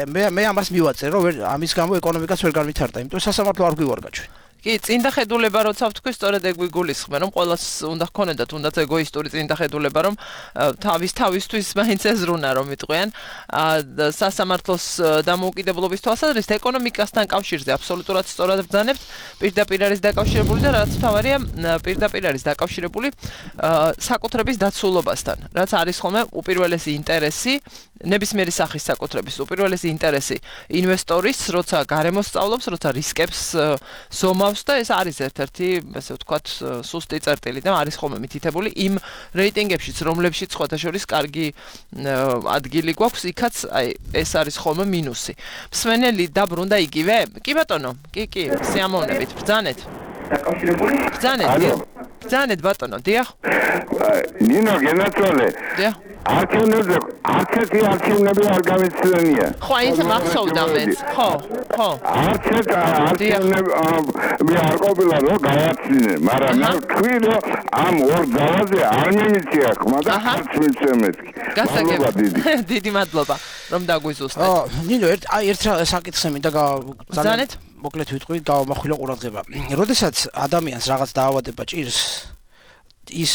მე ამას მივაწერ რომ ამის გამო ეკონომიკაც ვერ განვითარდა, იმიტომ სასამართლო არ გვივარგა ჩვენ. კი, წინდახედულება როცა ვთქვი, სწორედ ეგ ვიგულისხმე, რომ ყოველას უნდა ჰქონოდა თუნდაც ეგოისტური წინდახედულება, რომ თავისთვის მაინც ეზრუნა რომ იტყვიან, სასამართლოს დამოუკიდებლობის თვალსაზრისით ეკონომიკასთან კავშირზე აბსოლუტურად სწორად ბრძანებთ, პირდაპირ არის დაკავშირებული და რაც თავარია, პირდაპირ არის დაკავშირებული საკუთრების დაცულობასთან, რაც არის ხოლმე უპირველესი ინტერესი, ნებისმიერი სახის საკუთრების უპირველესი ინტერესი ინვესტორის, როცა გარემოს სწავლობს, როცა რისკებს ზომავს და ეს არის ერთ-ერთი, ასე ვთქვათ, სუსტი წერტილი და არის ხოლმე მითითებული იმ რეიტინგებშიც, რომლებშიც სხვათა შორის კარგი ადგილი გვაქვს, იქაც აი ეს არის ხოლმე მინუსი. მსმენელი დაბრუნდა იგივე? კი ბატონო, კი, სიამოვნებით, ბრძანეთ. დაკავშირებული? ბრძანეთ ბატონო, დიახ. ნინო გენაცვალე. დიახ. არჩევნებზე არცერთი არჩევნები არ გამიცდენია. ხო, ის მახსოვდა მეც. ხო. არცერთ არჩევნები არ ყოფილა რომ გავაცინე, მაგრამ მე ვთქვი რომ ამ ორ ძალაზე არ მიმიცია ხმა და არც მიცემეთ. გასაგებია. დიდი მადლობა რომ დაგვიზუსტეთ. ნინო ერთ საკითხს მინდა ბრძანეთ. მოკლედ ვიტყვი, გამახვილო ყურადღება. როდესაც ადამიანს რაღაც დაავადება ჭირს, ის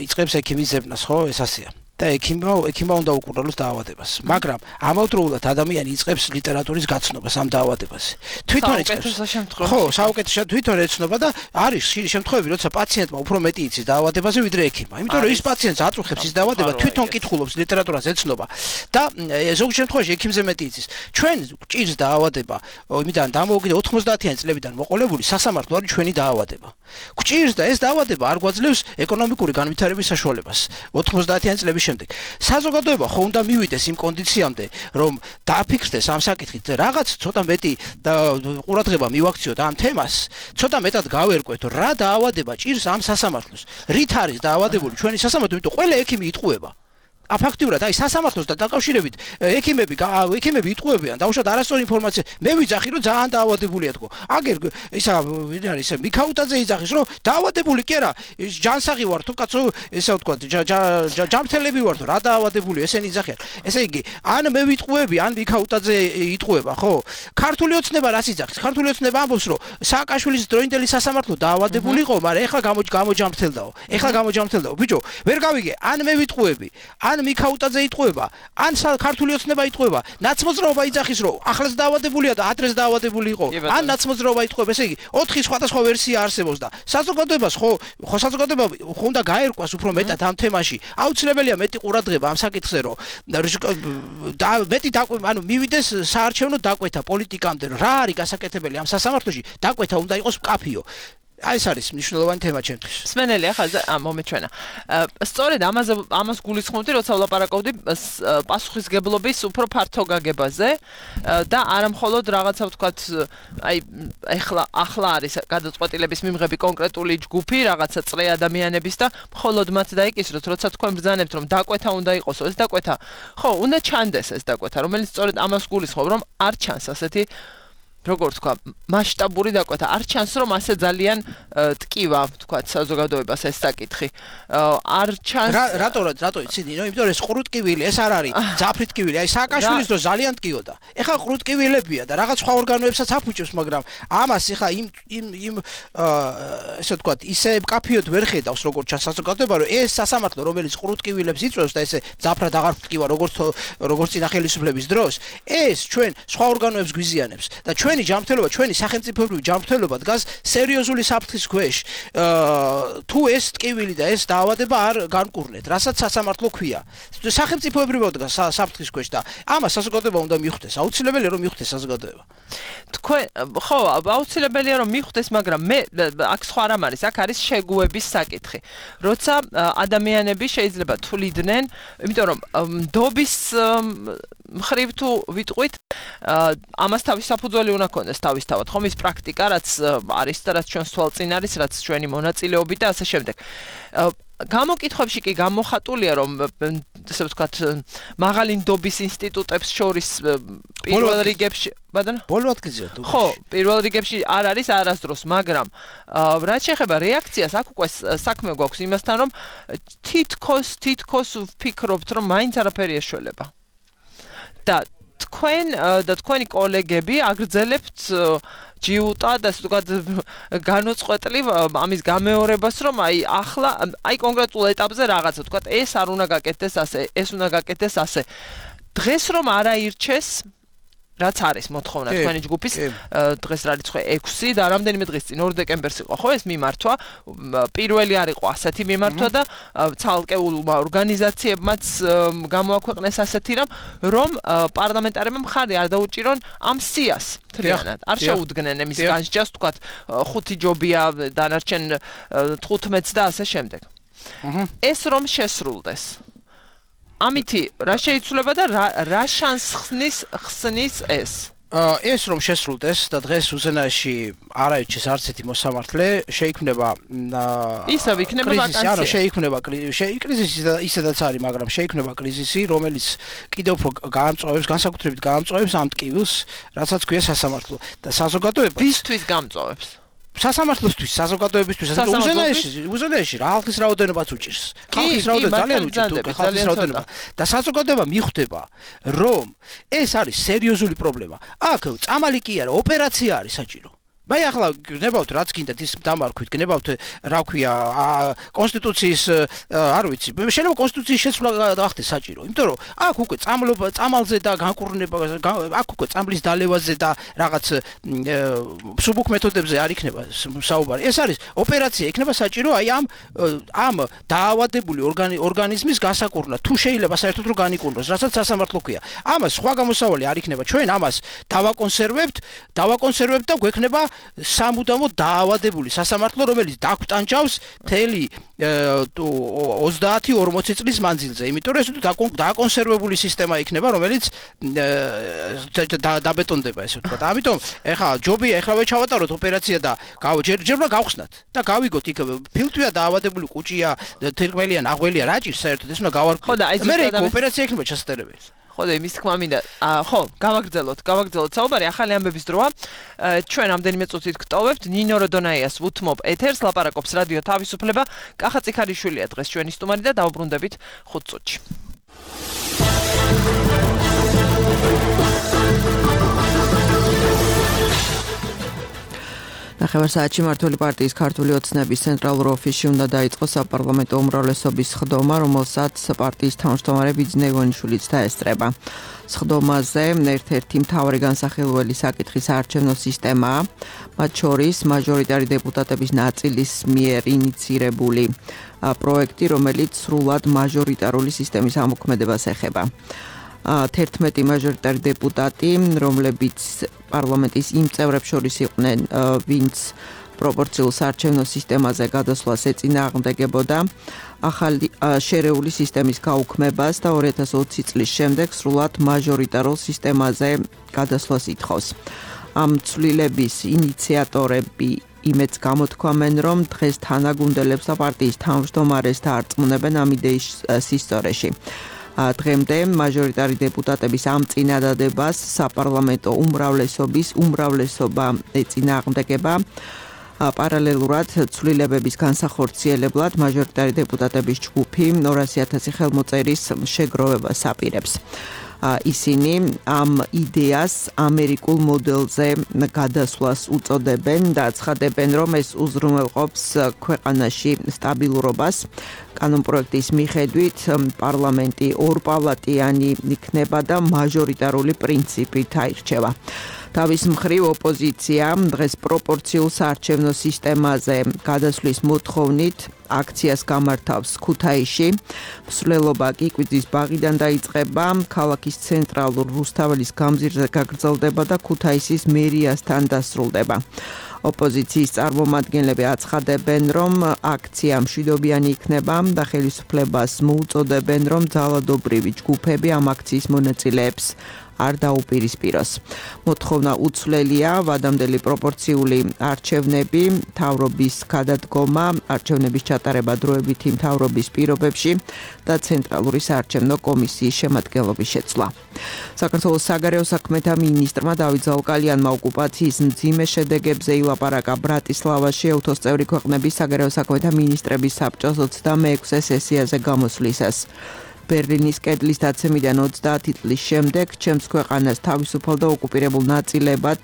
იწყებს ექიმის ზებნას, ხო, ეს ასეა. და ექიმმა უნდა უკურნალოს დაავადებას. მაგრამ ამავდროულად ადამიანი იწყებს ლიტერატურის გაცნობას ამ დაავადებაზე. თვითონ იწყებს. ხო, საუკეთესო თვითონ ეცნობა და არის ხშირი შემთხვევები, როცა პაციენტმა უფრო მეტი იცის დაავადებაზე ვიდრე ექიმმა. იმიტომ რომ ის პაციენტს აწუხებს ის დაავადება, თვითონ კითხულობს ლიტერატურას ეცნობა და ზოგ შემთხვევაში ექიმზე მეტი იცის. ჩვენ ჭირს დაავადება, იმიდან დამოუკიდე 90-იანი წლებიდან მოყოლებული სასამართლო არის ჩვენი დაავადება. გვჭირს და ეს დაავადება არ გვაძლევს ეკონომიკური განვითარების საშუალებას 90-იანი წლების შემდეგ. საზოგადოება ხო უნდა მივიდეს იმ კონდიციამდე, რომ დააფიქსდეს ამ საკითხით რაღაც ცოტა მეტი ყურადღება მივაქციოთ ამ თემას, ცოტა მეტად გავერკვეთ, რა დაავადება ჭირს ამ სასამართლოს. რით არის დაავადებული ჩვენი სასამართლო, იმიტომ ყველა ექიმი იტყუება. აფაქტიურად აი სასამართლოს და დაკავშირებით ექიმები იტყუებიან დაუშვათ არასწორი ინფორმაცია მე ვიძახი რომ ძალიან დაავადებულია თქო აგერ ისა ვინ არის მიქაუტაძე იძახის რომ დაავადებული კი არა ჯანსაღი ვარ თუ კაცო ესა ვთქვა ჯამთელები ვარ თუ რა დაავადებული ესენი იძახიან ესე იგი ან მე ვიტყუები ან მიქაუტაძე იტყუება ხო ქართული ოცნება რას იძახის ქართული ოცნება ამბობს რომ სააკაშვილის დროინდელი სასამართლო დაავადებული იყო მაგრამ ეხლა გამოჯამრთელდაო ბიჭო ვერ გავიგე ან მე ვიტყუები ან მიქაუტაძე იტყუება, ან ქართული ოცნება იტყუება, ნაცმოძრაობა იძახის, რომ ახლაც დაავადებულია და ადრეს დაავადებული იყო, ან ნაცმოძრაობა იტყუება, ესე იგი 4 სხვადასხვა ვერსია არსებობს და საზოგადოებას ხო საზოგადოება უნდა გაერკვას უფრო მეტად ამ თემაში. აუცილებელია მეტი ყურადღება ამ საკითხზე, რომ მეტი ანუ მივიდეს საარჩევნო დაკვეთა პოლიტიკამდე, რა არის გასაკეთებელი ამ სასამართლოში, დაკვეთა უნდა იყოს მკაფიო. აი ეს არის მნიშვნელოვანი თემა ჩემთვის. სმენელი ახლა მომეჩვენა. სწორედ ამას გულისხმობდი, როცა ვლაპარაკობდი პასუხისგებლობის უფრო ფართო გაგებაზე და არა მხოლოდ რაღაცა ვთქვათ, აი ახლა არის გადაწყვეტილების მიმღები კონკრეტული ჯგუფი, რაღაცა წრე ადამიანების და მხოლოდ მათ დაიკისროთ, როცა თქვენ ბრძანებთ, რომ დაკვეთა უნდა იყოსო, ეს დაკვეთა. ხო, უნდა ჩანდეს ეს დაკვეთა, რომელიც სწორედ ამას გულისხმობ, რომ არ ჩანს ასეთი როგორც თქვა, მასშტაბური დაკვეთა. არ ჩანს, რომ ასე ძალიან ტკივა, თქვა, საზოგადოებას ეს საკითხი. არ ჩანს. რატო იცი, ნინო, იმიტომ რომ ეს ყრუტკივილი, ეს არ არის ძაფრი ტკივილი. აი სააკაშვილის დრო ძალიან ტკიოდა. ეხლა ყრუტკივილებია და რაღაც სხვა ორგანოებსაც აფუჭებს, მაგრამ ამას ეხლა იმ ესე ვთქვა, ისე მკაფიოდ ვერ ხედავს, როგორც ჩანს საზოგადოება, რომ ეს სასამართლო, რომელიც ყრუტკივილებს იწვევს და ესე ძაფრად აღარ ტკივა, როგორც წინა ხელისუფლების დროს, ეს ჩვენ სხვა ორგანოებს გვიზიანებს და ჩვენი ჯანმრთელობა, ჩვენი სახელმწიფოებრივი ჯანმრთელობა დგას სერიოზული საფრთხის ქვეშ. თუ ეს ტკივილი და ეს დაავადება არ განკურნეთ, რასაც სასამართლო ქვია. სახელმწიფოებრივად დგას საფრთხის ქვეშ და ამას საზოგადოება უნდა მიხვდეს. აუცილებელია რომ მიხვდეს საზოგადოება. თქვენ ხო, აუცილებელია რომ მიხვდეს, მაგრამ მე აქ სხვა რამ არის, აქ არის შეგუების საკითხი. როცა ადამიანები შეიძლება თuliდნენ, იმიტომ რომ ნდობის მხრივ თუ ვიტყვით, ამას თავის საფუძველი უნდა ქონდეს თავისთავად, ხომ ის პრაქტიკა, რაც არის და რაც ჩვენს თვალწინ არის, რაც ჩვენი მონაწილეობით და ასე შემდეგ. გამოკითხვებში კი გამოხატულია, რომ ესე ვთქვათ, მაღალი ნდობის ინსტიტუტებს შორის პირველ რიგებში, ბოლო ადგილზეა თუ ხო, პირველ რიგებში არ არის არასდროს, მაგრამ რაც შეეხება რეაქციას, აქ უკვე საქმე გვაქვს იმასთან, რომ თითქოს ვფიქრობთ, რომ მაინც არაფერი ეშველება. და თქვენი კოლეგები აგრძელებთ ჯიუტა და ასე ვთქვათ განუწყვეტლივ ამის გამეორებას, რომ ახლა კონკრეტულ ეტაპზე რაღაცა ვთქვათ, ეს არ უნდა გაკეთდეს ასე, ეს უნდა გაკეთდეს ასე. დღეს რომ არ აირჩეს, რაც არის მოთხოვნა თქვენი ჯგუფის, დღეს რა რიცხვი 6 და რამდენიმე დღის წინ 2 დეკემბერს იყო ხო ეს მიმართვა, პირველი არ იყო ასეთი მიმართვა და ცალკეულმა ორგანიზაციებმაც გამოაქვეყნეს ასეთი რომ პარლამენტარებმა მხარი არ დაუჭირონ ამ სიას თლიანად. არ შეუდგნენ εμის განსჯას, ვთქვათ, 5 ჯობია, დანარჩენ 15 და ასე შემდეგ. ეს რომ შესრულდეს. ამითი რა შეიცვლება და რა შანსს ხსნის ეს? ეს რომ შესრულდეს და დღეს უზენაეში არ აირჩეს არც ერთი მოსამართლე, შეიქმნება ისევ იქნება ვაკანსია. ანუ შეიქმნება კრიზისი და ისედაც არის, მაგრამ შეიქმნება კრიზისი, რომელიც კიდევ უფრო გაამწვავებს, განსაკუთრებით გაამწვავებს ამ ტკივილს, რასაც ქვია სასამართლო და საზოგადოება. ვისთვის გამწვავებს? სასამართლოსთვის, საზოგადოებისთვის, უზენაეში რა ხალხის რაოდენობაც უჭირს. ხალხის რაოდენობა ძალიან უჭირს, ხალხის რაოდენობა. და საზოგადოება მიხვდება, რომ ეს არის სერიოზული პრობლემა. აქ წამალი კი არა, ოპერაცია არის საჭირო. Vai ახლა გნებავთ რაც გინდათ ის დამარქვით, გნებავთ რა ქვია კონსტიტუციის არ ვიცი. შეიძლება კონსტიტუციის შეცვლა გახდეს საჭირო, იმიტომ რომ აქ უკვე წამალზე და განკურნება, აქ უკვე წამლის დალევაზე და რაღაც მსუბუქ მეთოდებზე არ იქნება საუბარი. ეს არის ოპერაცია, იქნება საჭირო აი ამ დაავადებული ორგანიზმის გასაკურნა. თუ შეიძლება საერთოდ რომ განიკურნოს, რასაც სასამართლო ქვია. ამას სხვა გამოსავალი არ იქნება. ჩვენ ამას დავაკონსერვებთ და გვექნება სამუდამო დაავადებული სასამართლო, რომელიც დაგვტანჯავს მთელი 30-40 წლის მანძილზე. იმიტომ რომ ეს დაკონსერვებული სისტემა იქნება, რომელიც დაბეტონდება, ესე ვთქვათ. ამიტომ ეხლა ჯობია ეხლავე ჩავატაროთ ოპერაცია და ჯერჯერობა გავხსნათ და გავიგოთ იქ ფილტვია დაავადებული კუჭია, თირკმელია, ნაღველია, რა ჭირს საერთოდ ეს უნდა გავარკვიოთ. ხო და აი მე ოპერაცია იქნება ჩასატარებელი. ხო და იმის თქმა მინდა ხო გავაგრძელოთ საუბარი ახალი ამბების დროა ჩვენ ამდენიმე წუთით გტოვებთ ნინო როდონაიას უთმობ ეთერს ლაპარაკობს რადიო თავისუფლება კახა წიქარიშვილია დღეს ჩვენი სტუმარი და დავუბრუნდებით 5 წუთში ნახევარსაათში მმართველი პარტიის ქართული ოცნების ცენტრალურ ოფისში უნდა დაიწყოს საპარლამენტო უმრავლესობის სხდომა, რომელსაც პარტიის თავმჯდომარე ბიძინა ივანიშვილიც დაესწრება. სხდომაზე ერთ-ერთი მთავარი განსახილველი საკითხის საარჩევნო სისტემაა, მათ შორის მაჟორიტარი დეპუტატების ნაწილის მიერ ინიცირებული პროექტი, რომელიც სრულად მაჟორიტარული სისტემის ამოქმედებას ეხება. 11 მაჟორიტარი დეპუტატი, რომლებიც პარლამენტის იმ წევრებს შორის იყვნენ, ვინც პროპორციულ საარჩევნო სისტემაზე გადასვლას ეწინააღმდეგებოდა, ახალი შერეული სისტემის გაუქმებას და 2020 წლის შემდეგ სრულად მაჟორიტარულ სისტემაზე გადასვლას ითხოვს. ამ ცვლილების ინიციატორები იმედს გამოთქვამენ, რომ დღეს თანაგუნდელებს და პარტიის თავმჯდომარეს დაარწმუნებენ ამ იდეის სისწორეში. დღემდე მაჟორიტარი დეპუტატების ამ წინადადებას საპარლამენტო უმრავლესობა ეწინააღმდეგება. პარალელურად ცვლილებების განსახორციელებლად მაჟორიტარი დეპუტატების ჯგუფი 200,000 ხელმოწერის შეგროვებას აპირებს. ისინი ამ იდეას ამერიკულ მოდელზე გადასვლას უწოდებენ და ცხადებენ, რომ ეს უზრუნველყოფს ქვეყანაში სტაბილურობას. კანონპროექტის მიხედვით პარლამენტი ორპალატიანი იქნება და მაჟორიტარული პრინციპით აირჩევა. თავის მხრივ ოპოზიცია დღეს პროპორციულ საარჩევნო სისტემაზე გადასვლის მოთხოვნით აქციას გამართავს ქუთაისში. მსვლელობა კი კვიძის ბაღიდან დაიწყება, ქალაქის ცენტრალურ რუსთაველის გამზირზე გაგრძელდება და ქუთაისის მერიასთან დასრულდება. ოპოზიციის წარმომადგენლები აცხადებენ, რომ აქცია მშვიდობიანი იქნება და ხელისუფლებას მოუწოდებენ, რომ ძალადობრივი ჯგუფები ამ აქციის მონაწილეებს არ დაუპირისპიროს. მოთხოვნა უცვლელია ვადამდელი პროპორციული არჩევნები, მთავრობის გადადგომა, არჩევნების ჩატარება დროებითი მთავრობის პირობებში და ცენტრალური საარჩევნო კომისიის შემადგენლობის შეცვლა. საქართველოს საგარეო საქმეთა მინისტრმა დავით ზაუკალიანმა ოკუპაციის მძიმე შედეგებზე ილაპარაკა ბრატისლავაში ეუთოს წევრი ქვეყნების საგარეო საქმეთა მინისტრების საბჭოს 26-ე სესიაზე გამოსვლისას. ბერლინის კედლის დაცემიდან 30 წლის შემდეგ ჩემს ქვეყანას თავისუფალ და ოკუპირებულ ნაწილებად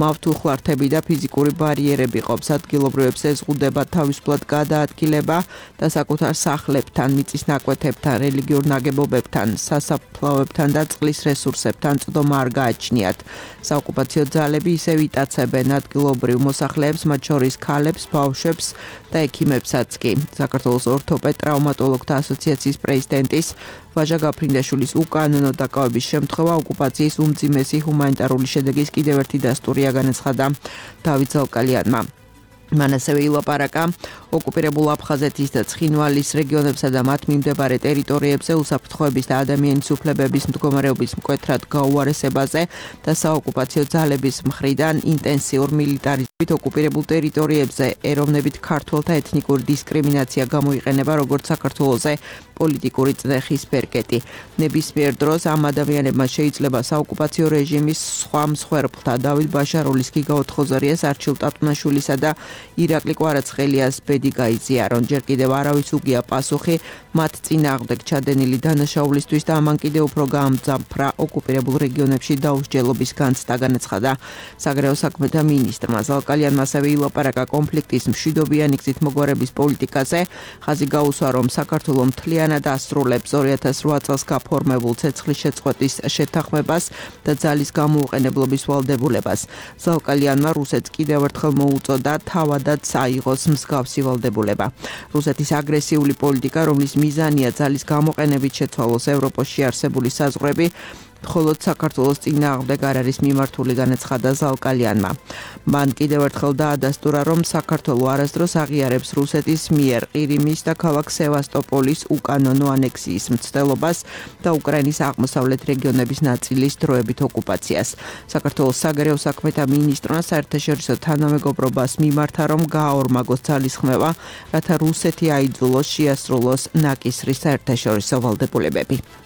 მავთულხლართები და ფიზიკური ბარიერები ყოფს, ადგილობრივებს ეზღუდება თავისუფლად გადაადგილება და საკუთარ სახლებთან, მიწის ნაკვეთებთან, რელიგიურ ნაგებობებთან, სასაფლაოებთან და წყლის რესურსებთან წვდომა არ გააჩნიათ. საოკუპაციო ძალები ისევ იტაცებენ ადგილობრივ მოსახლეებს, მათ შორის ქალებს, ბავშვებს და ექიმებსაც კი. საქართველოს ორთოპედ-ტრავმატოლოგთა ასოციაციის პრეზიდენტის ვაჟა გაფრინდაშვილის უკანონო დაკავების შემთხვევა ოკუპაციის უმძიმესი ჰუმანიტარული შედეგის კიდევ ერთი დასტურია, განაცხადა დავით ზაუკალიანმა. მან ასევე ილაპარაკა ოკუპირებულ აფხაზეთის და ცხინვალის რეგიონებსა და მათ მიმდებარე ტერიტორიებზე უსაფრთხოების და ადამიანის უფლებების მდგომარეობის მკვეთრად გაუარესებაზე და საოკუპაციო ძალების მხრიდან ინტენსიურ მილიტარიზმით ოკუპირებულ ტერიტორიებზე ეროვნებით ქართველთა ეთნიკური დისკრიმინაცია გამოიყენება როგორც საქართველოზე პოლიტიკური წნეხის ბერკეტი. ნებისმიერ დროს ამ ადამიანებმა შეიძლება საოკუპაციო რეჟიმის სხვა მსხვერპლთა დავით ბაშარულის, გიგა ოთხოზარიას, არჩილ ტატუნაშვილისა და ირაკლი კვარაცხელიას ბედი გაიზიარონ. ჯერ კიდევ არავის უგია პასუხი მათ წინააღმდეგ ჩადენილი დანაშაულისთვის და ამან კიდევ უფრო გაამძაფრა ოკუპირებულ რეგიონებში დაუსჯელობის განცდა, განაცხადა საგარეო საქმეთა მინისტრმა. ზალკალიანმა ასევე ილაპარაკა კონფლიქტის მშვიდობიანი გზით მოგვარების პოლიტიკაზე. ხაზი გაუსვა, რომ საქართველო მთლიანად ასრულებს 2008 წელს გაფორმებულ ცეცხლის შეწყვეტის შეთანხმებას და ძალის გამოუყენებლობის ვალდებულებას. ზალკალიანმა რუსეთს კიდევ ერთხელ მოუწოდა თავადაც აიღოს მსგავსი ვალდებულება. რუსეთის აგრესიული პოლიტიკა, რომლის მიზანია ძალის გამოყენებით შეცვალოს ევროპაში არსებული საზღვრები, მხოლოდ საქართველოს წინააღმდეგ არ არის მიმართული, განაცხადა ზალკალიანმა. მან კიდევ ერთხელ დაადასტურა, რომ საქართველო არასდროს აღიარებს რუსეთის მიერ ყირიმის და ქალაქ სევასტოპოლის უკანონო ანექსიის მცდელობას და უკრაინის აღმოსავლეთ რეგიონების ნაწილის დროებით ოკუპაციას. საქართველოს საგარეო საქმეთა მინისტრმა საერთაშორისო თანამეგობრობას მიმართა, რომ გააორმაგოს ძალისხმევა, რათა რუსეთი აიძულოს შეასრულოს ნაკისრის საერთაშორისო ვალდებულებები.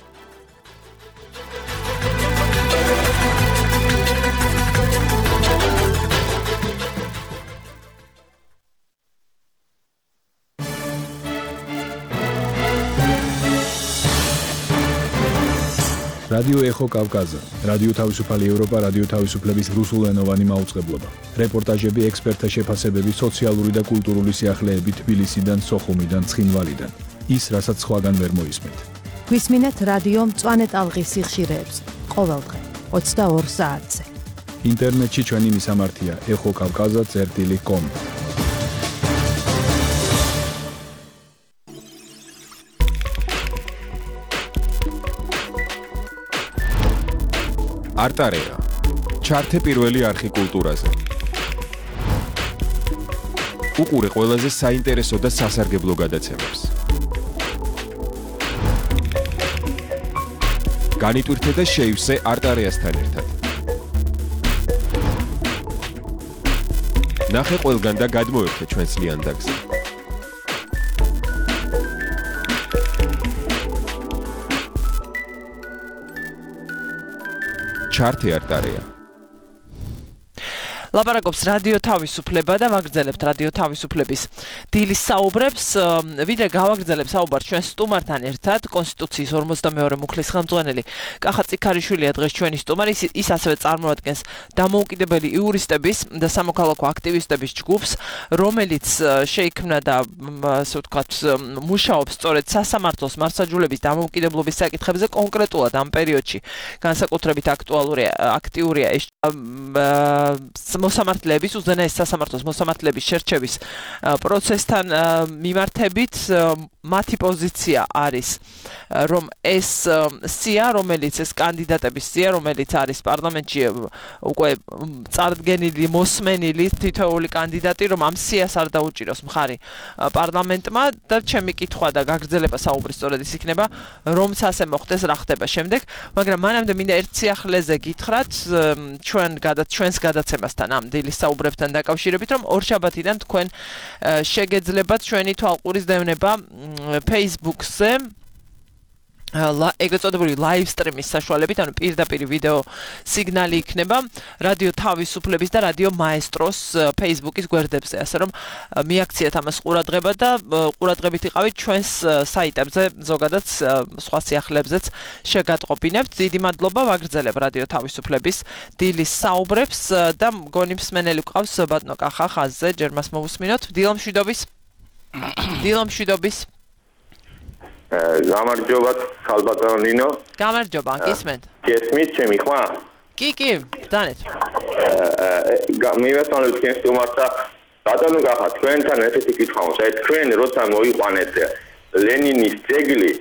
რადიო ეხო კავკაზა, რადიო თავისუფალი ევროპა, რადიო თავისუფლების რუსულენოვანი მაუწყებლობა. რეპორტაჟები, ექსპერტთა შეფასებები, სოციალური და კულტურული სიახლეები თბილისიდან, სოხუმიდან, ცხინვალიდან. ის, რასაც სხვაგან ვერ მოისმენთ. გვისმინეთ რადიო მწვანე ტალღის სიხშირეებს ყოველდღე 22 საათზე. ინტერნეტში ჩვენი მისამართია ეხოკავკაზა.com. არტარეა. ჩართე პირველი არხი კულტურაზე. უყურე ყველაზე საინტერესო და სასარგებლო გადაცემებს. განიტვირთე და შეივსე არტარეასთან ერთად. ნახე ყველგან და გადმოერთე ჩვენს ლიანდაგზე. ჩართე არტარეა. ლაპარაკობს რადიო თავისუფლება და ვაგრძელებთ რადიო თავისუფლების დილის საუბრებს. ვიდრე გავაგრძელებ საუბარს ჩვენ სტუმართან ერთად, კონსტიტუციის 42 მუხლის ხელმძღვანელი კახა წიქარიშვილია დღეს ჩვენი სტუმარი. ის ასევე წარმოადგენს დამოუკიდებელი იურისტების და სამოქალაქო აქტივისტების ჯგუფს, რომელიც შეიქმნა და ასე ვთქვათ, მუშაობს სწორედ სასამართლოს მართლმსაჯულების დამოუკიდებლობის საკითხებზე, კონკრეტულად ამ პერიოდში განსაკუთრებით აქტიურია ეს მოსამართლეების, უზენაეს სასამართლოს მოსამართლეების შერჩევის პროცესთან მიმართებით. მათი პოზიცია არის, რომ ეს სია, რომელიც ეს კანდიდატების სია, რომელიც არის პარლამენტში უკვე წარდგენილი, მოსმენილი თითოეული კანდიდატი, რომ ამ სიას არ დაუჭიროს მხარი პარლამენტმა და ჩემი კითხვა და გაგრძელება საუბრის სწორედ ის იქნება, რომც ასე მოხდეს, რა ხდება შემდეგ. მაგრამ მანამდე მინდა ერთ სიახლეზე გითხრათ ჩვენს გადაცემასთან ამ დილის საუბრებთან დაკავშირებით, რომ ორშაბათიდან თქვენ შეგეძლებათ ჩვენი თვალყურის დევნება Facebook-ზე ეგრეთ წოდებული live stream-ის საშუალებით, ანუ პირდაპირ ვიდეო სიგნალი იქნება რადიო თავისუფლების და რადიო მაესტროს Facebook-ის გვერდებზე, ასე რომ მიაქციეთ ამას ყურადღება და ყურადღებით იყავით ჩვენს საიტებზე, ზოგადად სხვა სიახლეებზეც შეგატყობინებთ. დიდი მადლობა, ვაგრძელებ რადიო თავისუფლების დილის საუბრებს და მგონი მსმენელი გვყავს ბატონო კახა ხაზზე, ჯერ მას მოვუსმინოთ. დილამშვიდობის. გამარჯობა ხალბატონო ნინო. გამარჯობა, გისმენთ? გესმით ჩემი ხმა? კი, დანეთ. მივესალმებ თქვენს სტუმართა. ბატონო კახა, თქვენთან ესეთი კითხვა მაქვს. თქვენ როცა მოიყვანეთ ლენინის ძეგლი,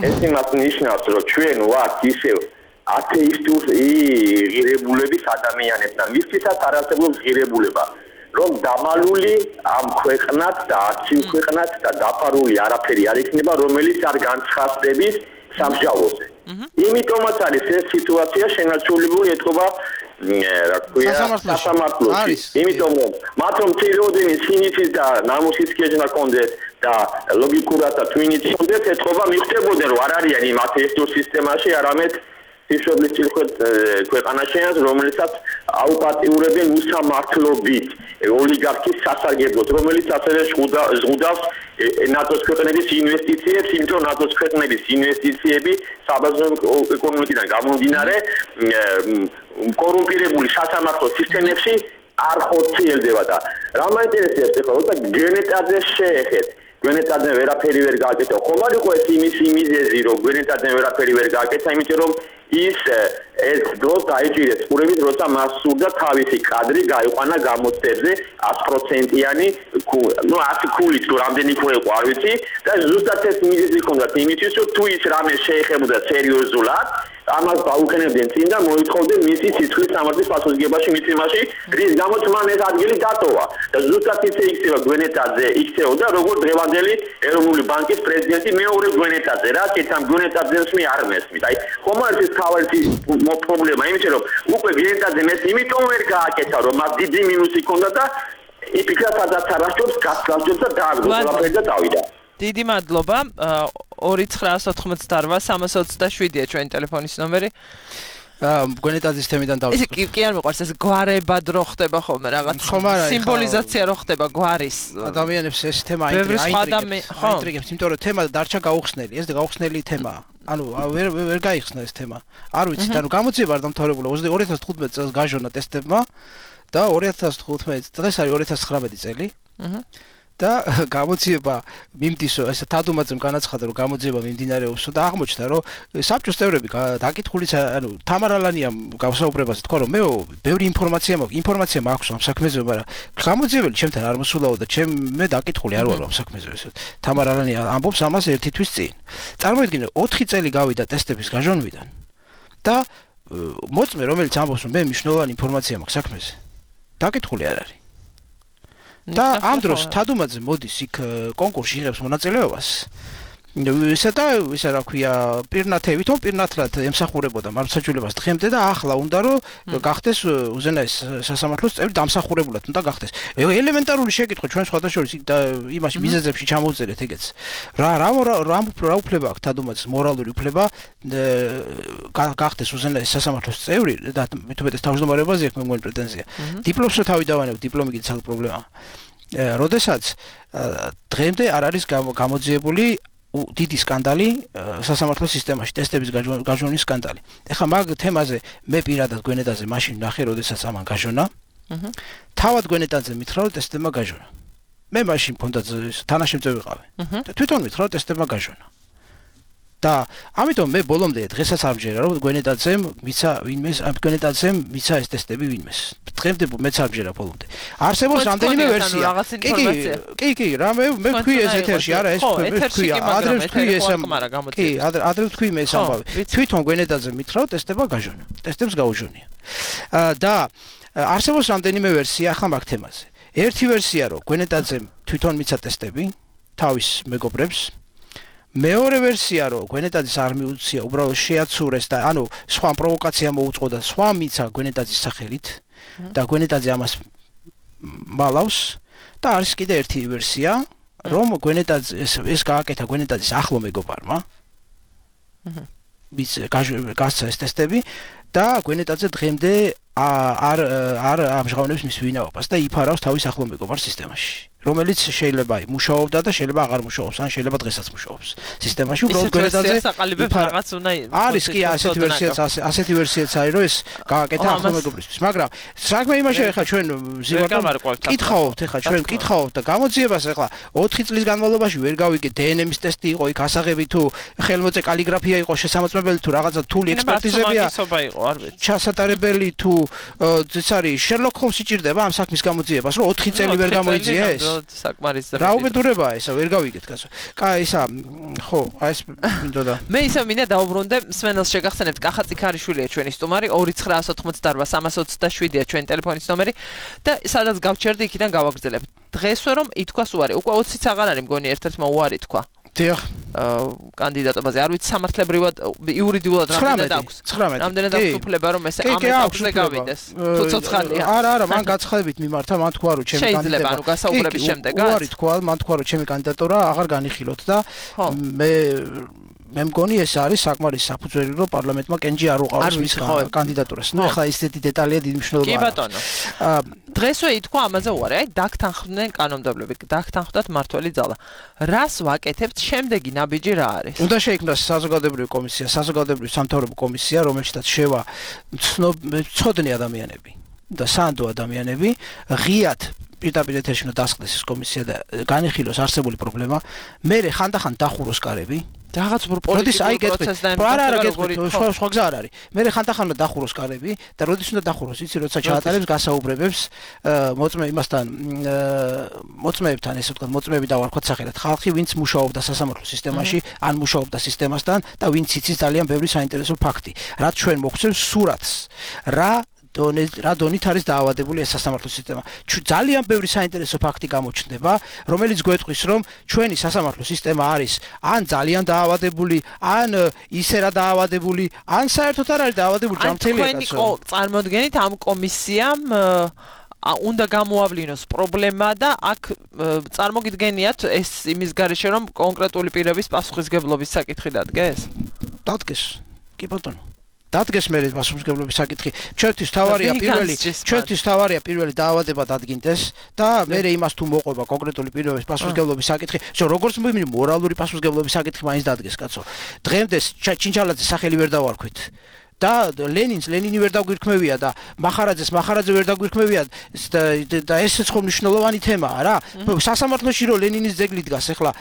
ეს იმას ნიშნავს, რომ ჩვენ ვართ ისევ ათეისტურ ღირებულების ადამიანებთან. ვისთვისაც არ არსებობს ღირებულება. რომ დამალული ამ ქვეყნად და არცივ ქვეყნად და დაფარული არაფერი არ იქნება, რომელიც არ განცხადდების სამსჯავროზე. იმიტომაც არის ეს სიტუაცია შენარჩუნებული ეთქობა, რა ქვია, სასამართლოში. იმიტომ რომ მათ რომ ცირეოდენი სინითის და ნამუსის კეჭნა კონდეთ და ლოგიკურად და თუ ინიციირებდეთ ეთქობა მიხვდებოდნენ რომ არ არიან იმ ათეისტურ სისტემაში არამედ ღვთისმშობლის წილხვედ ქვეყანაშენს რომელსაც აუპატიურებენ უსამართლობით ოლიგარქის სასარგებლოდ რომელიც ასევე ზღუდავს ნატოს ქვეყნების ინვესტიციებს იმიტომ რომ ნატოს ქვეყნების ინვესტიციები საბაზრო ეკონომიკიდან გამომდინარე კორუმპირებული სასამართლო სისტემებში არ ხორციელდება და რა მაინტერესებს ახლა როცა გენეტაძე შეეხეთ გვენეტაძე ვერაფერი ვერ გააკეთა ხომ არ იყო ეს იმის მიზეზი რომ გვენეტაძე ვერაფერი ვერ გააკეთა იმიტომ რომ ის ეს დრო დაიჭირეს ყურებით როცა მას სურდა თავისი კადრი გაიყვანა გამოცდებზე 100%-იანი ნუ 100 ქულით თუ რამდენი ხო იყო არ ვიცი და ზუსტად ეს მიზეზი ჰქონდა იმისთვის რომ თუ ის რამე შეეხებოდა სერიოზულად ამას დაუყენებდნენ წინ და მოითხოვდნენ მისი სიცხლის სამართლის პასუხისგებაში მიცემაში რის გამოც მან ეს ადგილი დატოვა და ზუსტად ისე იქცევა გვენეტაძე იქცეოდა როგორც დღევანდელი ეროვნული ბანკის პრეზიდენტი მეორე გვენეტაძე რა კეთამ გვენეტაძეს მე არ მესმით აი ხომ არის ეს თავისი პრობლემა იმიტომ რომ უკვე გვენეტაძე მე იმიტომ ვერ გააკეთა რომ მას დიდი მინუსი ჰქონდა და იფიქრა სადაც არასდროს გასწავლდა და დააგდო და დავიდა დიდი მადლობა 2988-327-ია ჩვენი ტელეფონის ნომერი გვენეტაძის თემიდან დავიწყო. ეს კი არ მიყვარს ეს გვარებად რო ხდება ხოლმე რაღაც სიმბოლიზაცია რო ხდება გვარის ადამიანებს ეს თემა აინტრიგებს, იმიტომ რომ თემა დარჩა გაუხსნელი, ეს გაუხსნელი თემაა. ანუ ვერ გაიხსნა ეს თემა. არ ვიცით, ანუ გამოძიება არ დამთავრებულა 2015 წელს გაჟონა ტესტებმა და 2015 დღეს არის 2019 წელი. და გამოძიება მიმდისო ეს თადუმაძემ განაცხადა რომ გამოძიება მიმდინარეობსო და აღმოჩნდა რომ საბჭოს წევრები დაკითხულიც ანუ თამარალანიამ გავსაუბრებას თქვა რომ მე ბევრი ინფორმაცია მაქვს ამ საქმეზე მაგრამ გამოძიებელი ჩემთან არ მოსულაო და მე დაკითხული არ ვარ ამ საქმეზე ესე თამარალანია ამბობს ამას ერთი თვის წინ წარმოიდგინე 4 წელი გავიდა ტესტების გაჟონვიდან და მოწმე რომელიც ამბობს რომ მე მნიშვნელოვანი ინფორმაცია მაქვს საქმეზე დაკითხული არ არის და ამ დროს თადუმაძე მოდის იქ კონკურსში იღებს მონაწილეობას ისა რა ქვია პირნათები თო პირნათლად ემსახურებოდა მართლმსაჯულებას დღემდე და ახლა უნდა რომ გახდეს უზენაეს სასამართლოს წევრი დამსახურებულად უნდა გახდეს ელემენტარული შეკითხვა ჩვენ სხვადასხვა იმაში მიზეზებში ჩამოვწერეთ ეგეც რა უფლება აქვს თადუმაძეს მორალური უფლება გახდეს უზენაეს სასამართლოს წევრი და მithumetes თავმჯდომარეობაზე აქვს მე მგონი პრეტენზია დიპლომსო თავი დავანებ დიპლომი კიდე საერთო პრობლემაა როდესაც დღემდე არ არის გამოძიებული დიდი სკანდალი სასამართლო სისტემაში ტესტების გაჟონის სკანდალი. ეხლა მაგ თემაზე მე პირადად გვენეტაძე მაშინ ნახე, როდესაც ამან გაჟონა. თავად გვენეტაძე მითხრა, რომ ტესტებმა გაჟონა. მე მაშინ მქონდა თანაშემწე ვიყავი. და თვითონ მითხრა, რომ ტესტებმა გაჟონა. და ამიტომ მე ბოლომდე დღესაც ამჯერა, რომ გვენეტაძემ მიცა ეს ტესტები ვინმეს. დღემდე მეც ამჯერა ბოლომდე. არსებობს რამდენიმე ვერსია. კი, რა მე ვქვი ეს ეთერში, არა ეს ვქვი, ადრე ვქვი ეს კი, ადრე ვქვი მე ეს ამბავი. თვითონ გვენეტაძე მითხრა, რომ ტესტება გაჟონა. ტესტებს გაუჟონია. და არსებობს რამდენიმე ვერსია ახლა მაგ თემაზე. ერთი ვერსია რომ გვენეტაძემ თვითონ მიცა ტესტები თავის მეგობრებს მეორე ვერსია რომ გვენეტაძის არ მიუცია უბრალოდ შეაცურეს და ანუ სხვა პროვოკაცია მოუწყო და სხვა მიცა გვენეტაძის სახელით და გვენეტაძე ამას მალავს და არის კიდე ერთი ვერსია რომ გვენეტაძე ეს გააკეთა გვენეტაძის ახლო მეგობარმა ვის გასცა ეს ტესტები და გვენეტაძე დღემდე არ ამჟღავნებს მის ვინაობას და იფარავს თავის ახლო მეგობარ სისტემაში რომელიც შეიძლება მუშაობდა და შეიძლება აღარ მუშაობს ან შეიძლება დღესაც მუშაობს სისტემაში უბრალოდ გვენეტაძე არის კი ასეთი ვერსიაც არის რომ ეს გააკეთა ახლო მეგობრისთვის მაგრამ საქმე იმაშია ეხლა ჩვენ კითხავთ ჩვენ კითხავთ და გამოძიებას ეხლა 4 წლის განმავლობაში ვერ გავიგეთ დნმ-ის ტესტი იყო იქ ასაღები თუ ხელმოწე კალიგრაფია იყო შესამოწმებელი თუ რაღაცა თული ექსპერტიზებია ჩასატარებელი თუ ეს არის შერლოკ ჰოლმსი ჭირდება ამ საქმის გამოძიებას რომ 4 წელი ვერ გამოიძია ეს რა უბედურებაა ესა ვერ გავიგეთ კაცო კაი ისა ხო აი ეს მინდოდა მე ისე მინდა დაუბრუნდე სვენელს შეგახსენებთ კახა წიქარიშვილია ჩვენი სტუმარი 2988-327-ია ჩვენი ტელეფონის ნომერი და სადაც გავჩერდი იქიდან გავაგრძელებ დღესვე რომ ითქვას უარი უკვე 20-იც აღარ არის მგონი ერთ-ერთმა უარი თქვა დიახ კანდიდატობაზე. არ ვიცი სამართლებრივად იურიდიულად რამდენად აქვს. 19. რამდენად აქვს უფლება რომ ეს ამ ეტაპზე გავიდეს. თუ ცოცხალია. არა, მან გაცხადებით მიმართა, მან თქვა რომ ჩემი კანდიდატურა. შეიძლება, ანუ გასაუბრების შემდეგაც. უარი თქვა, მან თქვა რომ ჩემი კანდიდატურა აღარ განიხილოთ და მე მგონი ეს არის საკმარის საფუძველი რომ პარლამენტმა კენჭი არ უყაროს მის კანდიდატურას. ნუ ახლა ისეთი დეტალია დიდი მნიშვნელობა აქვს. კი ბატონო. დღესვე ითქვა ამაზე უარი, აი დაგთანხმდნენ კანონმდებლები, დაგთანხმდათ მართველი ძალა. რას ვაკეთებთ შემდეგი ნაბიჯი რა არის? უნდა შეიქმნას საზოგადოებრივი კომისია, საზოგადოებრივი სამთავრობო კომისია, რომელშიც შევა ცოდნი ადამიანები და სანდო ადამიანები, ღიად პირდაპირ ეთერში უნდა დასხდეს ეს კომისია და განიხილოს არსებული პრობლემა. მერე ხანდახან დახუროს კარები. რაღაც პოლიტიკური პროცესს და სხვა გზა არ არის. მერე ხანდახან უნდა დახუროს კარები და როდის უნდა დახუროს, იცი, როცა ჩაატარებს გასაუბრებებს მოწმეებთან, ესე ვთქვათ, მოწმეები დავარქვათ სახელად ხალხი, ვინც მუშაობდა სასამართლო სისტემაში, ან მუშაობდა სისტემასთან და ვინც იცის ძალიან ბევრი საინტერესო ფაქტი. რაც ჩვენ მოგცემს სურათს, რა დონით არის დაავადებული ეს სასამართლო სისტემა. ძალიან ბევრი საინტერესო ფაქტი გამოჩნდება, რომელიც გვეტყვის, რომ ჩვენი სასამართლო სისტემა არის ან ძალიან დაავადებული, ან ისე რა დაავადებული, ან საერთოდ არ არის დაავადებული ჯანმრთელია კაცო. თქვენი წარმოდგენით ამ კომისიამ უნდა გამოავლინოს პრობლემა და აქ წარმოგიდგენიათ ეს იმის გარეშე რომ კონკრეტული პირების პასუხისგებლობის საკითხი დადგეს? დადგეს. კი ბატონო. დადგეს მე პასუხისგებლობის საკითხი. ჩვენთვის თავარია პირველი დაავადება დადგინდეს და მე იმას თუ მოყვება კონკრეტული პირების პასუხისგებლობის საკითხი, როგორც მორალური პასუხისგებლობის საკითხი მაინც დადგეს, კაცო. დღემდე ჩინჩალაძეს სახელი ვერ დავარქვით. და ლენინი ვერ დაგვირქმევია და მახარაძე ვერ დაგვირქმევია და ესეც ხომ მნიშვნელოვანი თემაა რა. სასამართლოში რომ ლენინის ძეგლი დგას, ახლა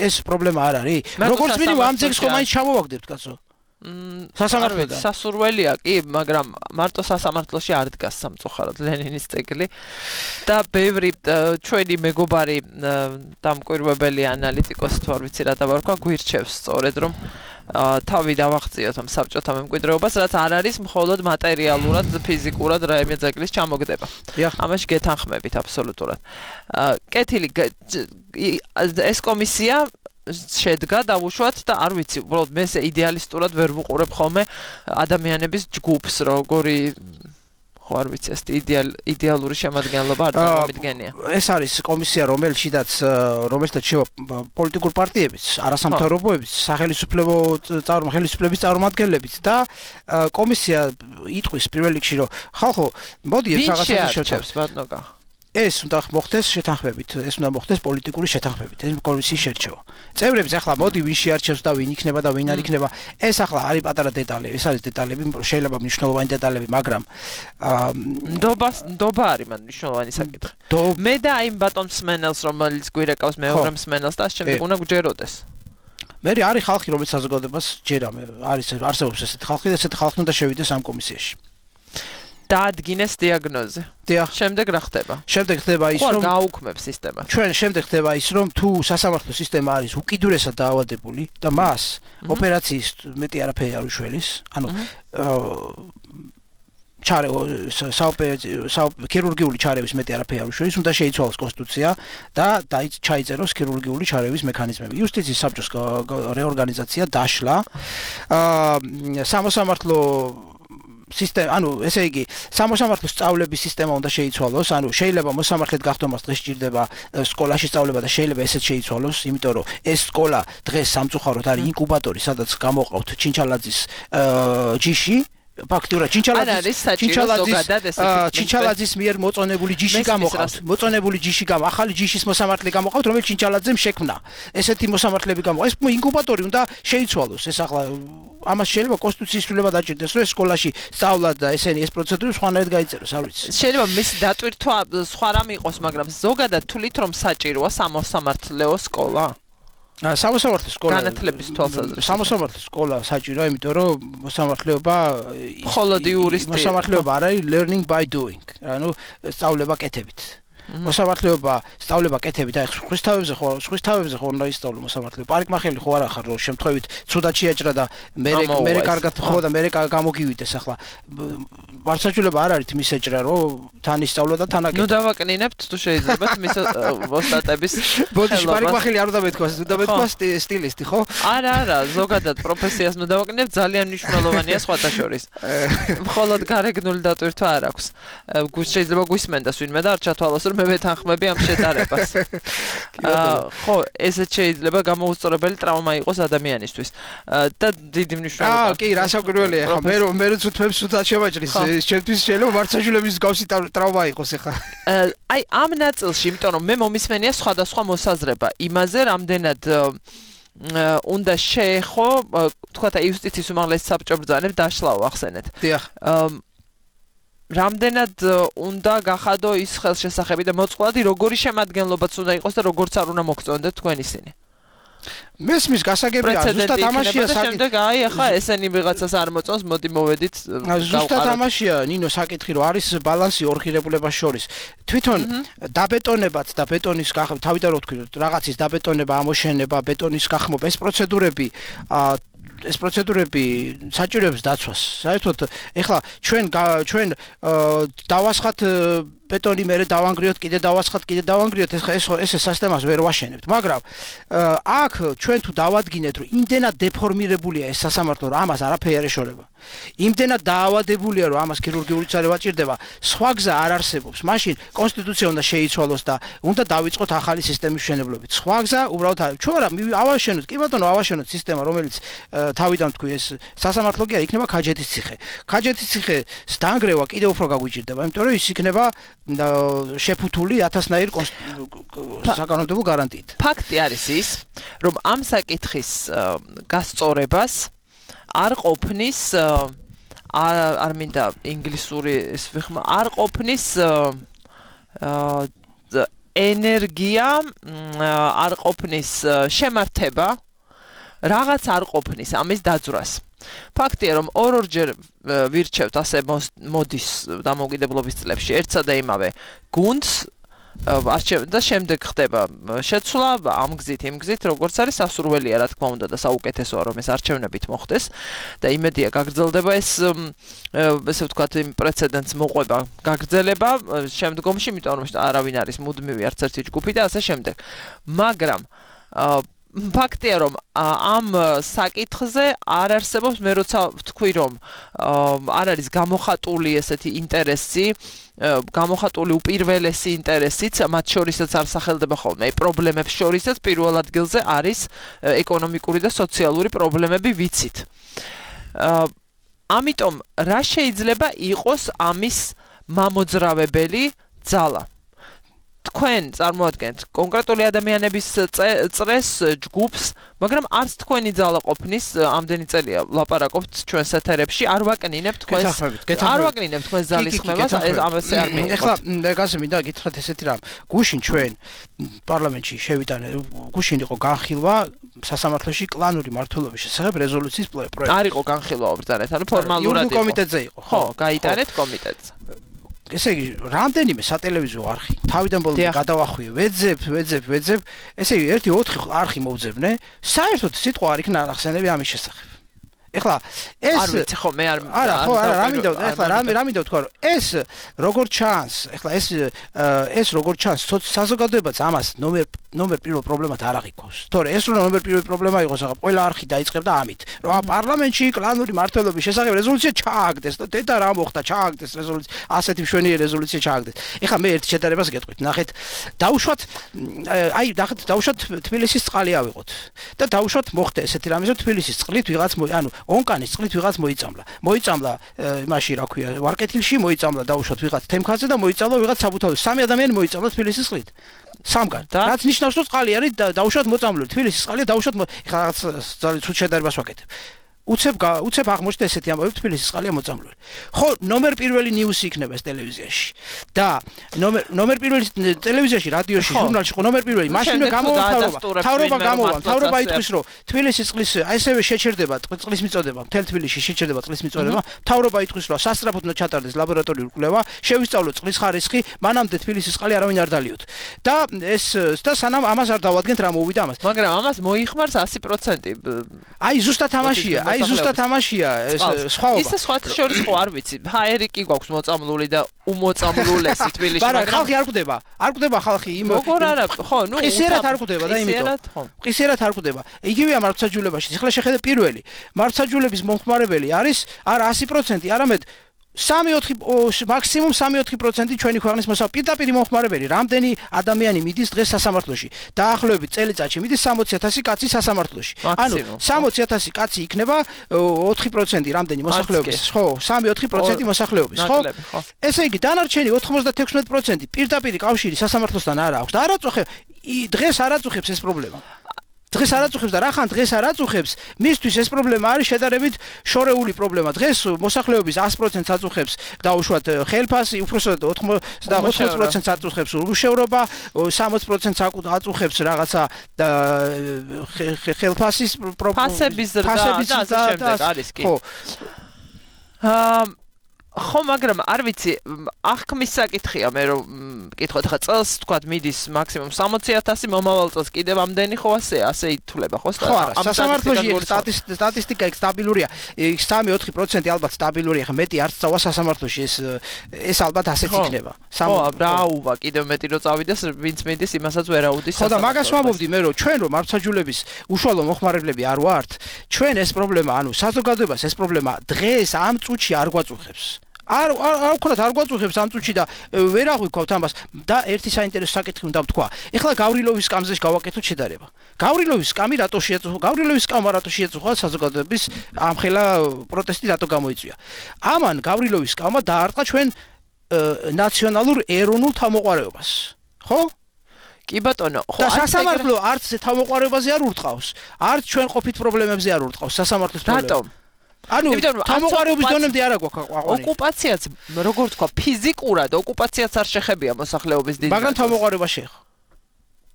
ეს პრობლემა არ არის. როგორც მინიმუმ ამ ძეგლს ხომ მაინც ჩამოვაგდებთ, კაცო. სასამართლოდან სასურველია კი, მაგრამ მარტო სასამართლოში არ დგას სამწუხაროდ ლენინის ძეგლი და ბევრი ჩვენი მეგობარი დამკვირვებელი ანალიტიკოსი თუ არ ვიცი რა დავარქვა გვირჩევს სწორედ რომ თავი დავაღწიოთ ამ საბჭოთა მემკვიდრეობას, რაც არ არის მხოლოდ მატერიალურად, ფიზიკურად რაიმე ძეგლის ჩამოგდება. ამაში გეთანხმებით აბსოლუტურად. კეთილი ეს კომისია შედგა დავუშვათ და არ ვიცი, უბრალოდ მე ესე იდეალისტურად ვერ ვუყურებ ხოლმე ადამიანების ჯგუფს, როგორი ხო არ ვიცი, ეს იდეალური შემადგენლობა არ წარმომიდგენია. ეს არის კომისია, რომელშიც შევა პოლიტიკურ პარტიებიც, არასამთავრობოებიც, ხელისუფლების წარმომადგენლებიც და კომისია იტყვის პირველ რიგში, რომ ხალხო, მოდი ეს რაღაცა შევჩერდეთ, ბატონო. ეს უნდა მოხდეს შეთანხმებით, ეს უნდა მოხდეს პოლიტიკური შეთანხმებით, ეს კომისიის შერჩევა. წევრებს ახლა მოდი ვინ შეარჩევს და ვინ იქნება და ვინ არ იქნება, ეს ახლა არის პატარა დეტალები, ეს არის დეტალები, შეიძლება მნიშვნელოვანი დეტალები, მაგრამ ნდობა არის მან მნიშვნელოვანი საკითხი. მე და იმ ბატონ მსმენელს, რომელიც გვირეკავს მეორე მსმენელს და შემდეგ უნდა გვჯეროდეს. მე არის ხალხი, რომელიც საზოგადოებას ჯერა, არსებობს ესეთი ხალხი და ესეთი ხალხი უნდა შევიდეს ამ კომისიაში. დაადგინეს დიაგნოზი. შემდეგ რა ხდება? შემდეგ ხდება ის, რომ გააუქმებს სისტემა. შემდეგ ხდება ის, რომ თუ სასამართლო სისტემა არის უკიდურესად დაავადებული და მას ოპერაციის მეტი არაფერი არ უშველის, ანუ ქირურგიული ჩარევის მეტი არაფერი არ უშველის, უნდა შეიცვალოს კონსტიტუცია და ჩაიწეროს ქირურგიული ჩარევის მექანიზმები. იუსტიციის საბჭოს რეორგანიზაცია დაშლა. სამოსამართლო სისტემა, ანუ ესე იგი, სამოსამართლო სწავლების სისტემა უნდა შეიცვალოს, ანუ შეიძლება მოსამართლედ გახდომას დღეს სჭირდება სკოლაში სწავლება და შეიძლება ესეც შეიცვალოს, იმიტომ რომ ეს სკოლა დღეს სამწუხაროდ არის ინკუბატორი, სადაც გამოყავთ ჩინჩალაძის ჯიში. ფაქტურად ჩინჩალაძის მიერ მოწონებული ჯიში გამოყავთ. ახალი ჯიშის მოსამართლე გამოყავთ, რომელიც ჩინჩალაძემ შექმნა. ესეთი მოსამართლეები გამოყავთ. ეს ინკუბატორი უნდა შეიცვალოს. ეს ახლა ამას შეიძლება კონსტიტუციის ცვლილება დაჭირდეს, რომ ეს სკოლაში სწავლა და ესენი ეს პროცედურა სხვანაირად გაიწეროს, არ ვიცი. შეიძლება მისი დატვირთვა სხვა რამე იყოს, მაგრამ ზოგადად თulit რომ საჭიროა სამოსამართლეო სკოლა. სამოსამართლო სკოლა განათლების თვალსაზრისით. სამოსამართლო სკოლა საჭიროა, იმიტომ რომ მოსამართლეობა მხოლოდ იურისტი. მოსამართლეობა არ არის learning by doing. ანუ სწავლება კეთებით. მოსამართლეობა სწავლება კეთებით, აი ხვის თავებზე ხო უნდა ისწავლო მოსამართლეობა. პარიკმახელი ხო არ ახარ, რომ შემთხვევით ცუდად შეაჭრა და მე კარგად ხო და მე გამოგივიდეს ახლა. ვარსაჩულება არ არის მისეჭრა, რომ თან ისწავლა და თან აკეთე. ნუ დავაკნინებთ თუ შეიძლება მის ოსტატების ბოდიში პარიკმახილი არ უნდა მეთქვას, უნდა მეთქვას სტილისტი, ხო? არა, ზოგადად პროფესიას ნუ დავაკნინებთ, ძალიან მნიშვნელოვანია სხვათა შორის. მხოლოდ გარეგნული დატვირთვა არ აქვს. შეიძლება გვისმენდას ვინმე და არ ჩათვალოს რომ მე ვეთანხმები ამ შედარებას. ხო, ესეც შეიძლება გამოუსწორებელი ტრავმა იყოს ადამიანისთვის. და დიდი მნიშვნელობა. კი, რასაკვირველია ხა, მე რო თვითებს თვითად შემაჭრის, ჩემთვის შეიძლება მარცხაშვილების გავსი ტრავმა იყოს ხა. აი ამ ნაწილში, იმიტომ რომ მე მომისმენია სხვადასხვა მოსაზრება იმაზე, რამდენად უნდა შეეხო, თქვათ აი იუსტიციის უმაღლესი საბჭო ბრძანებს დაშლაო ახსენეთ. დიახ. რამდენად უნდა გახადო ის ხელშესახები და მოწყვლადი როგორი შემადგენლობაც უნდა იყოს და როგორც არ უნდა მოგწონდეთ თქვენ ისინი. მესმის გასაგებია, ზუსტად ამაშია შემდეგ აი ახლა ესენი ვიღაცას არ მოწონს, მოდი მოვედით. ზუსტად ამაშია ნინო საკითხი, რომ არის ბალანსი ორ ღირებულებას შორის. თვითონ დაბეტონებაც და ბეტონის გახმობა, თავიდან რო ვთქვი, რაღაცის დაბეტონება, ამოშენება, ბეტონის გახმობა, ეს პროცედურები საჭიროებს დაცვას. საერთოდ ეხლა ჩვენ დავასხათ ბეტონი მერე დავანგრიოთ, კიდე დავასხათ, კიდე დავანგრიოთ, ეს სისტემას ვერ ვაშენებთ, მაგრამ აქ ჩვენ თუ დავადგინეთ, რომ იმდენად დეფორმირებულია ეს სასამართლო, რომ ამას არაფერი არ ეშორება. იმდენად დაავადებულია, რომ ამას ქირურგიული წარევა ჭირდება, სხვა გზა არ არსებობს. მაშინ კონსტიტუცია უნდა შეიცვალოს და უნდა დავიწყოთ ახალი სისტემის მშენებლობით. სხვა გზა უბრალოდ არ. ჩვენ რა ავაშენოთ, კი ბატონო, ავაშენოთ სისტემა, რომელიც თავიდან თქვი ეს სასამართლო კი არ იქნება ქაჯეთის ციხე. ქაჯეთის ციხეს დაანგრევა კიდევ უფრო გაგვიჭირდება, იმიტომ რომ ის იქნება შეფუთული 1000-ნაირ საკანონმდებლო გარანტიით. ფაქტი არის ის, რომ ამ საკითხის გასწორებას არ ყოფნის არ მინდა ინგლისური ეს ვიხმო, არ ყოფნის ენერგია, არ ყოფნის შემართება, რაღაც არ ყოფნის ამის დაძვრას. ფაქტია, რომ ორ-ორჯერ ვირჩევთ ასე მოდის დამოუკიდებლობის წლებში ერთსა და იმავე გუნდს და შემდეგ ხდება შეცვლა ამ გზით, იმ გზით, როგორც არის სასურველია, რა თქმა უნდა და საუკეთესოა, რომ ეს არჩევნებით მოხდეს და იმედია გაგრძელდება ეს ესე ვთქვათ, იმ პრეცედენტს მოყვება, გაგრძელება შემდგომში, იმიტომ რომ არავინ არის მუდმივი არც ერთი ჯგუფი და ასე შემდეგ. მაგრამ ფაქტია, რომ ამ საკითხზე არ არსებობს, მე როცა ვთქვი, რომ არ არის გამოხატული ესეთი ინტერესი, გამოხატული უპირველესი ინტერესიც, მათ შორისაც არ სახელდება ხოლმე. პრობლემებს შორისაც პირველ ადგილზე არის ეკონომიკური და სოციალური პრობლემები, ვიცით. ამიტომ რა შეიძლება იყოს ამის მამოძრავებელი ძალა? თქვენ წარმოადგენთ კონკრეტული ადამიანების წრეს, ჯგუფს, მაგრამ არც თქვენი ძალა ყოფნის, ამდენი წელია ლაპარაკობთ ჩვენს ეთერებში, არ ვაკნინებთ თქვენს ძალის ხმებას, ამასე არ მიიღოთ. ეხლა გასე მინდა გითხრათ ესეთი რამ. გუშინ ჩვენ პარლამენტში შევიტანე, გუშინ იყო განხილვა სასამართლოში კლანური მმართველობის შესახებ რეზოლუციის პროექტი. არ იყო განხილვა ბრძანეთ, ანუ ფორმალურად იყო. კომიტეტზე იყო. ხო, გაიტანეთ კომიტეტზე. ესე იგი, რამდენიმე სატელევიზიო არხი თავიდან ბოლომდე გადავახვიე, ვეძებ, ესე იგი, 1-4 არხი მოვძებნე, საერთოდ სიტყვა არ იქნა ახსენები ამის შესახებ. ეხლა ეს არ ვიცი ხო მე არ რა მინდა ვთქვა, რომ ეს როგორ ჩანს, ეხლა ეს როგორ ჩანს, საზოგადოებაც ამას ნომერ პირველ პრობლემად არ აღიქვავს. თორე ეს რომ ნომერ პირველ პრობლემა იყოს, ახლა ყველა არხი დაიწყებდა ამით, რომ პარლამენტში კლანური მმართველობის შესახებ რეზოლუცია ჩააგდეს და დედა რა მოხდა, ჩააგდეს რეზოლუცია, ასეთი მშვენიერი რეზოლუცია ჩააგდეს. ეხლა მე ერთ შედარებას გეტყვით, ნახეთ, დავუშვათ თბილისის წყალი ავიღოთ და დავუშვათ მოხდა ესეთი რამე, რომ თბილისის წყლით ვიღაც ონკანის წყლით ვიღაც მოიწამლა იმაში რა ქვია ვარკეთილში მოიწამლა დავუშვათ ვიღაც თემქაზე და მოიწამლა ვიღაც საბუთალში სამი ადამიანი მოიწამლა თბილისის წყლით სამგან რაც ნიშნავს რომ წყალი არის დავუშვათ მოწამლული თბილისის წყალია დავუშვათ ეხლა რაღაც ძალიან ცუდ შედარებას ვაკეთებ უცებ აღმოჩნდა ესეთი ამბავი თბილისის წყალია მოწამლული ხო ნომერ პირველი ნიუსი იქნება ეს ტელევიზიაში და ნომერ პირველი ტელევიზიაში რადიოში ჟურნალში ხო ნომერ პირველი მაშინვე თავრობა იტყვის რომ თბილისის წყლის ასევე შეჩერდება წყლის მიწოდება მთელ თბილისში შეჩერდება წყლის მიწოდება თავრობა იტყვის რომ სასწრაფოდ უნდა ჩატარდეს ლაბორატორიული კვლევა შევისწავლოთ წყლის ხარისხი მანამდე თბილისის წყალი არავინ არ დალიოთ და ეს და სანამ ამას არ დავადგენთ რა მოვიდა ამას მაგრამ ამას მოიხმარს 100% აი ზუსტად ამაშია აი ზუსტად ამაშია ეს სხვაობა. ისე სხვათა შორის ხო არ ვიცი. ჰაერი კი გვაქვს მოწამლული და უმოწამლულესი თბილისში, მაგრამ ხალხი არ კვდება. არ კვდება ხალხი იმ როგორ არა, ხო, ნუ ყისერად არ კვდება და იმიტომ. ყისერად არ კვდება. იგივეა მართლმსაჯულებაში. ახლა შეხედე პირველი. მართლმსაჯულების მომხმარებელი არის არა 100%, არამედ 3-4 მაქსიმუმ 3-4% ჩვენი ქვეყნის პირდაპირ მომხმარებელი. რამდენი ადამიანი მიდის დღეს სასამართლოში? დაახლოებით წელიწადში მიდის 60,000 კაცი სასამართლოში. ანუ 60,000 კაცი იქნება 4% რამდენი მოსახლეობის, ხო? 3-4% მოსახლეობის, ხო? ესე იგი დანარჩენი 96% პირდაპირ კავშირი სასამართლოსთან არ აქვს და არ აწუხებს დღეს არ აწუხებს ეს პრობლემა. დღეს არ აწუხებს და რახან დღეს არ აწუხებს, მისთვის ეს პრობლემა არის შედარებით შორეული პრობლემა. დღეს მოსახლეობის 100%-ს აწუხებს დაუშვათ ხელფასი, უпроსოდ 80%-ს აწუხებს ურუშევრობა, 60%-ს აწუხებს რაღაცა ხელფასის ფასების და ასე შემდეგ არის კი. ხო. ხო, მაგრამ არ ვიცი, აღქმის საკითხია მე რომ მკითხოთ, ხა წელს თქვა მიდის მაქსიმუმ 60,000, მომავალ წელს კიდევ ამდენი ხო ასე ითვლება ხო? ხო, სასამართლოში სტატისტიკა იქ სტაბილურია. 3-4% ალბათ სტაბილურია, ხა მეტი არც წავა სასამართლოში ეს ალბათ ასეც იქნება. ხო, რაუვა, კიდევ მეტი რო წავიდეს, ვინც მიდის, იმასაც ვერ აუდის. ხო და მაგას ვამბობდი მე რომ ჩვენ რომ მართლმსაჯულების უშუალო მომხმარებლები არ ვართ, ჩვენ ეს პრობლემა, ანუ საზოგადოებას ეს პრობლემა დღეს ამ წუთში არ გვაწუხებს. არ ვქონათ არ გვაწუხებს ამ წუთში და ვერ აღვიქვავთ ამას და ერთი საინტერესო საკითხი უნდა ვთქვა. ეხლა გავრილოვის სკამზე გავაკეთოთ შედარება. გავრილოვის სკამი რატო შეაწუხა? გავრილოვის სკამა რატო შეაწუხა საზოგადოების ამხელა პროტესტი რატო გამოიწვია? ამან გავრილოვის სკამა დაარტყა ჩვენ ნაციონალურ ეროვნულ თავმოყარეობას. ხო? კი ბატონო, ხო, და სასამართლო არც თავმოყარეობაზე არ ურტყავს, არც ჩვენ ყოფით პრობლემებზე არ ურტყავს სასამართლოს პრობლემებს. რატომ? ანუ თავმოყარეობის დონემდე არ აქვს აყვანი. ოკუპაციაც, როგორ თქვა, ფიზიკურად ოკუპაციაც არ შეხებია მოსახლეობის დიდ. მაგრამ თავმოყარეობა შეეხო.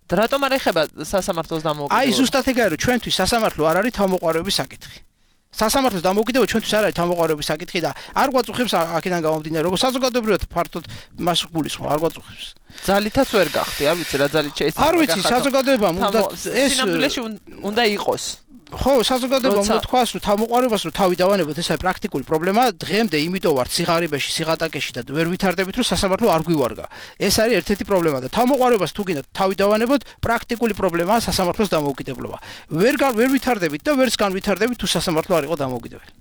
და რატომ არ ეხება სასამართლოს დამოუკიდებლობა? აი ზუსტად ეგაა რომ ჩვენთვის სასამართლო არ არის თავმოყარეობის საკითხი. სასამართლოს დამოუკიდებლობა ჩვენთვის არ არის თავმოყარეობის საკითხი და არ გვაწუხებს აქედან გამომდინარე, როგორ საზოგადოებრივად ფართოდ მას გულისხმობ, არ გვაწუხებს. ძალითაც ვერ გახდი, არ ვიცი რა ძალით შეიძლება. არ ვიცი, საზოგადოებამ უნდა ეს სინამდვილეში უნდა იყოს. ხო, საზოგადოებამ უნდა თქვას, რომ თავმოყარეობას რომ თავი დავანებოთ, ეს არის პრაქტიკული პრობლემა. დღემდე იმიტომ ვარ სიღარიბეში, სიღატაკეში და ვერ ვითარდებით, რომ სასამართლო არ გვივარგა. ეს არის ერთ-ერთი პრობლემა და თავმოყარეობას თუ გინდათ თავი დავანებოთ, პრაქტიკული პრობლემაა სასამართლოს დამოუკიდებლობა. ვერ ვითარდებით და ვერც განვითარდებით, თუ სასამართლო არ იყო დამოუკიდებელი.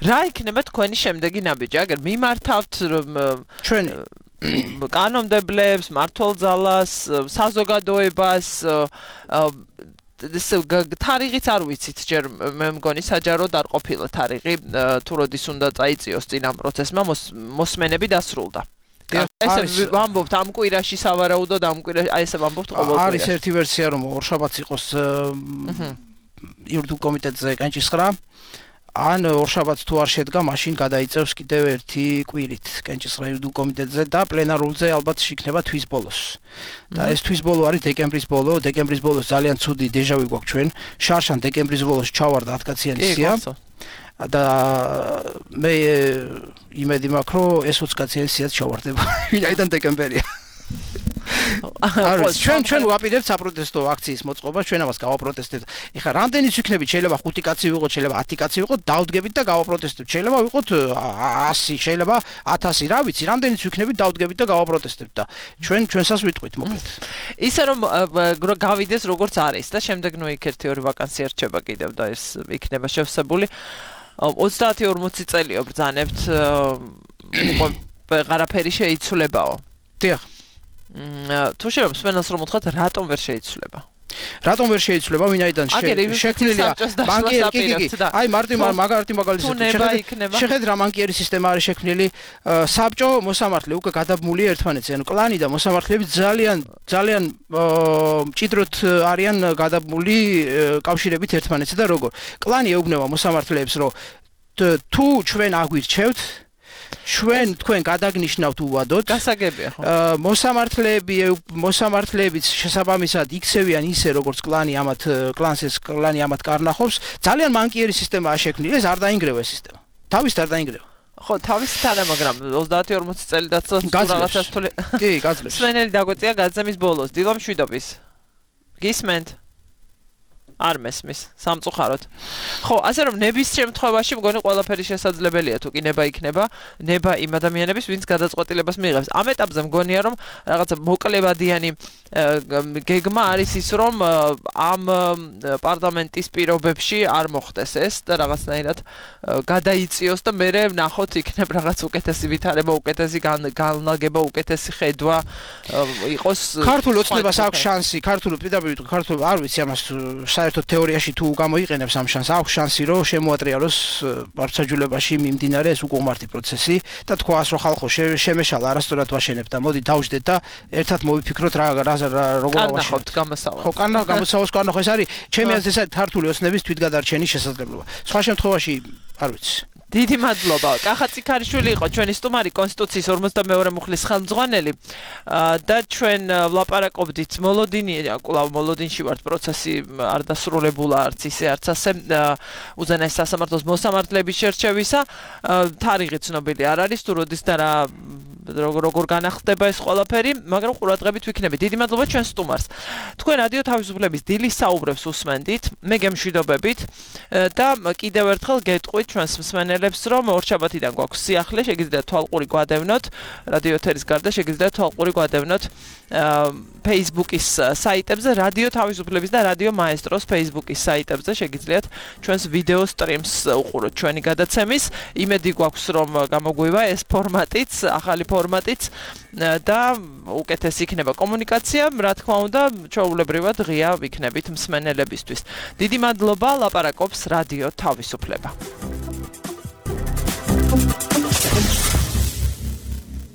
რა იქნება თქვენი შემდეგი ნაბიჯი? აგერ მიმართავთ ჩვენ კანონმდებლებს, მმართველ-ძალას, საზოგადოებას თარიღიც არ ვიცით ჯერ მე მგონი საჯაროდ არ ყოფილა თარიღი თუ როდის უნდა წაიწიოს წინ ამ პროცესმა მოსმენები დასრულდა. ესე ვამბობთ ამ კვირაში სავარაუდოდ ამ კვირაში აი ესე ვამბობთ ყოველ კვირაში. არის ერთი ვერსია რომ ორშაბათს იყოს იურიდიულ კომიტეტზე კენჭისყრა. ან ორშაბათს თუ არ შედგა, მაშინ გადაიწევს კიდევ ერთი კვირით კენჭისყრა იურიდიულ კომიტეტზე და პლენარულზე ალბათ იქნება თვის ბოლოს. და ეს თვის ბოლო არის დეკემბრის ბოლო. დეკემბრის ბოლოს ძალიან ცუდი დეჟავი გვაქვს ჩვენ. შარშან დეკემბრის ბოლოს ჩავარდა 10-კაციანი სია. და მე იმედი მაქვს, რომ ეს 20-კაციანი სიაც ჩავარდება. ვინაიდან დეკემბერია. ჩვენ ვაპირებთ საპროტესტო აქციის მოწყობას, ჩვენ ამას გავაპროტესტებთ. ეხლა რამდენიც ვიქნებით, შეიძლება 5 კაცი ვიყოთ, შეიძლება 10 კაცი ვიყოთ, დავდგებით და გავაპროტესტებთ. შეიძლება ვიყოთ 100, შეიძლება 1000, რა ვიცი, რამდენიც ვიქნებით, დავდგებით და გავაპროტესტებთ და ჩვენსაც ვიტყვით, მოკლედ. ისე რომ გავიდეს როგორც არის და შემდეგ ნუ იქ 1-2 ვაკანსია რჩება კიდევ და ეს იქნება შევსებული. 30-40 წელიო ბრძანებთ, ვეღარაფერი შეიცვლებაო. დიახ. თუ შეიძლება სვენელს რომ უთხრათ რატომ ვერ შეიცვლება? რატომ ვერ შეიცვლება? ვინაიდან შექმნილია ბანკიერი აი მარტი მაგალითად შეხედე რა ბანკიერი სისტემა არის შექმნილი საბჭო მოსამართლე უკვე გადაბმული ერთმანეთზე ანუ კლანი და მოსამართლეები ძალიან მჭიდროდ არიან გადაბმული კავშირებით ერთმანეთზე და როგორ კლანი ეუბნება მოსამართლეებს რომ თუ ჩვენ აგვირჩევთ თქვენ გადაგნიშნავთ უვადოთ გასაგებია ხო მოსამართლეებიც შესაბამისად იქცევიან ისე როგორც კლანი ამათ კარნახობს ძალიან მანკიერი სისტემაა შექმნილი ეს არ დაინგრევა ეს სისტემა თავის არ დაინგრევა ხო თავის თანა მაგრამ 30-40 წელი დაცავს რაღაცას თვლი კი გაძლევს სვენელი დაგვეწია გაზემის ბოლოს დილა მშვიდობის გისმენთ არ მესმის სამწუხაროდ. ხო, ასე რომ ნების შემთხვევაში მგონი ყველაფერი შესაძლებელია თუ კი ნება იქნება, ნება იმ ადამიანების, ვინც გადაწყვეტილებას მიიღებს. ამ ეტაპზე მგონია რომ რაღაცა მოკლებადიანი გეგმა არის ის რომ ამ პარლამენტის პირობებში არ მოხდეს ეს და რაღაცნაირად გადაიწიოს და მე ვნახოთ იქნებ რაღაც უკეთესი ვითარება, უკეთესი განლაგება, უკეთესი ხედვა იყოს. ქართულ ოცნებას აქვს შანსი, ქართულ არ ვიცი ამას საერთოდ თეორიაში თუ გამოიყენებს ამ შანსს, აქვს შანსი რომ შემოატრიალოს პარტიაჯულებაში მიმდინარე ეს უკუღმართი პროცესი და თქვას რომ ხალხო შემეშალა არასწორად ვაშენებთ და მოდი დავждეთ და ერთად მოვიფიქროთ როგორ ავაშენებთ გამოსავალს. ხო, გამოსავალს განახო ეს არის ჩემი აზრით ეს ქართული ოცნების თვითგადარჩენის შესაძლებლობა. სხვა შემთხვევაში არ ვიცი. დიდი მადლობა. კახა ციქარიშვილი იყო ჩვენი სტუმარი კონსტიტუციის 52 მუხლის ხელმძღვანელი და ჩვენ ვლაპარაკობდით მოლოდინში ვართ პროცესი არ დასრულებულა არც ისე არც ასე უზენაეს სასამართლოს მოსამართლეების შერჩევისა თარიღი ცნობილი არ არის თუ როდის და როგორ განახდება ეს ყველაფერი, მაგრამ ყურადღებით ვიქნებით. დიდი მადლობა ჩვენ სტუმარს. თქვენ რადიო თავისუფლების დილის საუბრებს უსმენდით, მე გემშვიდობებით და კიდევ ერთხელ გეტყვით ჩვენს მსმენელებს, რომ ორშაბათიდან გვაქვს სიახლე, შეგიძლიათ თვალყური გვადევნოთ, რადიო ეთერის გარდა შეგიძლიათ თვალყური გვადევნოთ Facebook-ის საიტებზე, რადიო თავისუფლების და რადიო მაესტროს Facebook-ის საიტებზე შეგიძლიათ ჩვენს ვიდეო სტრიმს უყუროთ ჩვენი გადაცემის. იმედი გვაქვს, რომ გამოგვივა ეს ფორმატიც, ახალი ფორმატიც და უკეთესი იქნება კომუნიკაცია, რა თქმა უნდა, ჩვეულებრივად ღია ვიქნებით მსმენელებისთვის. დიდი მადლობა, ლაპარაკობს რადიო თავისუფლება.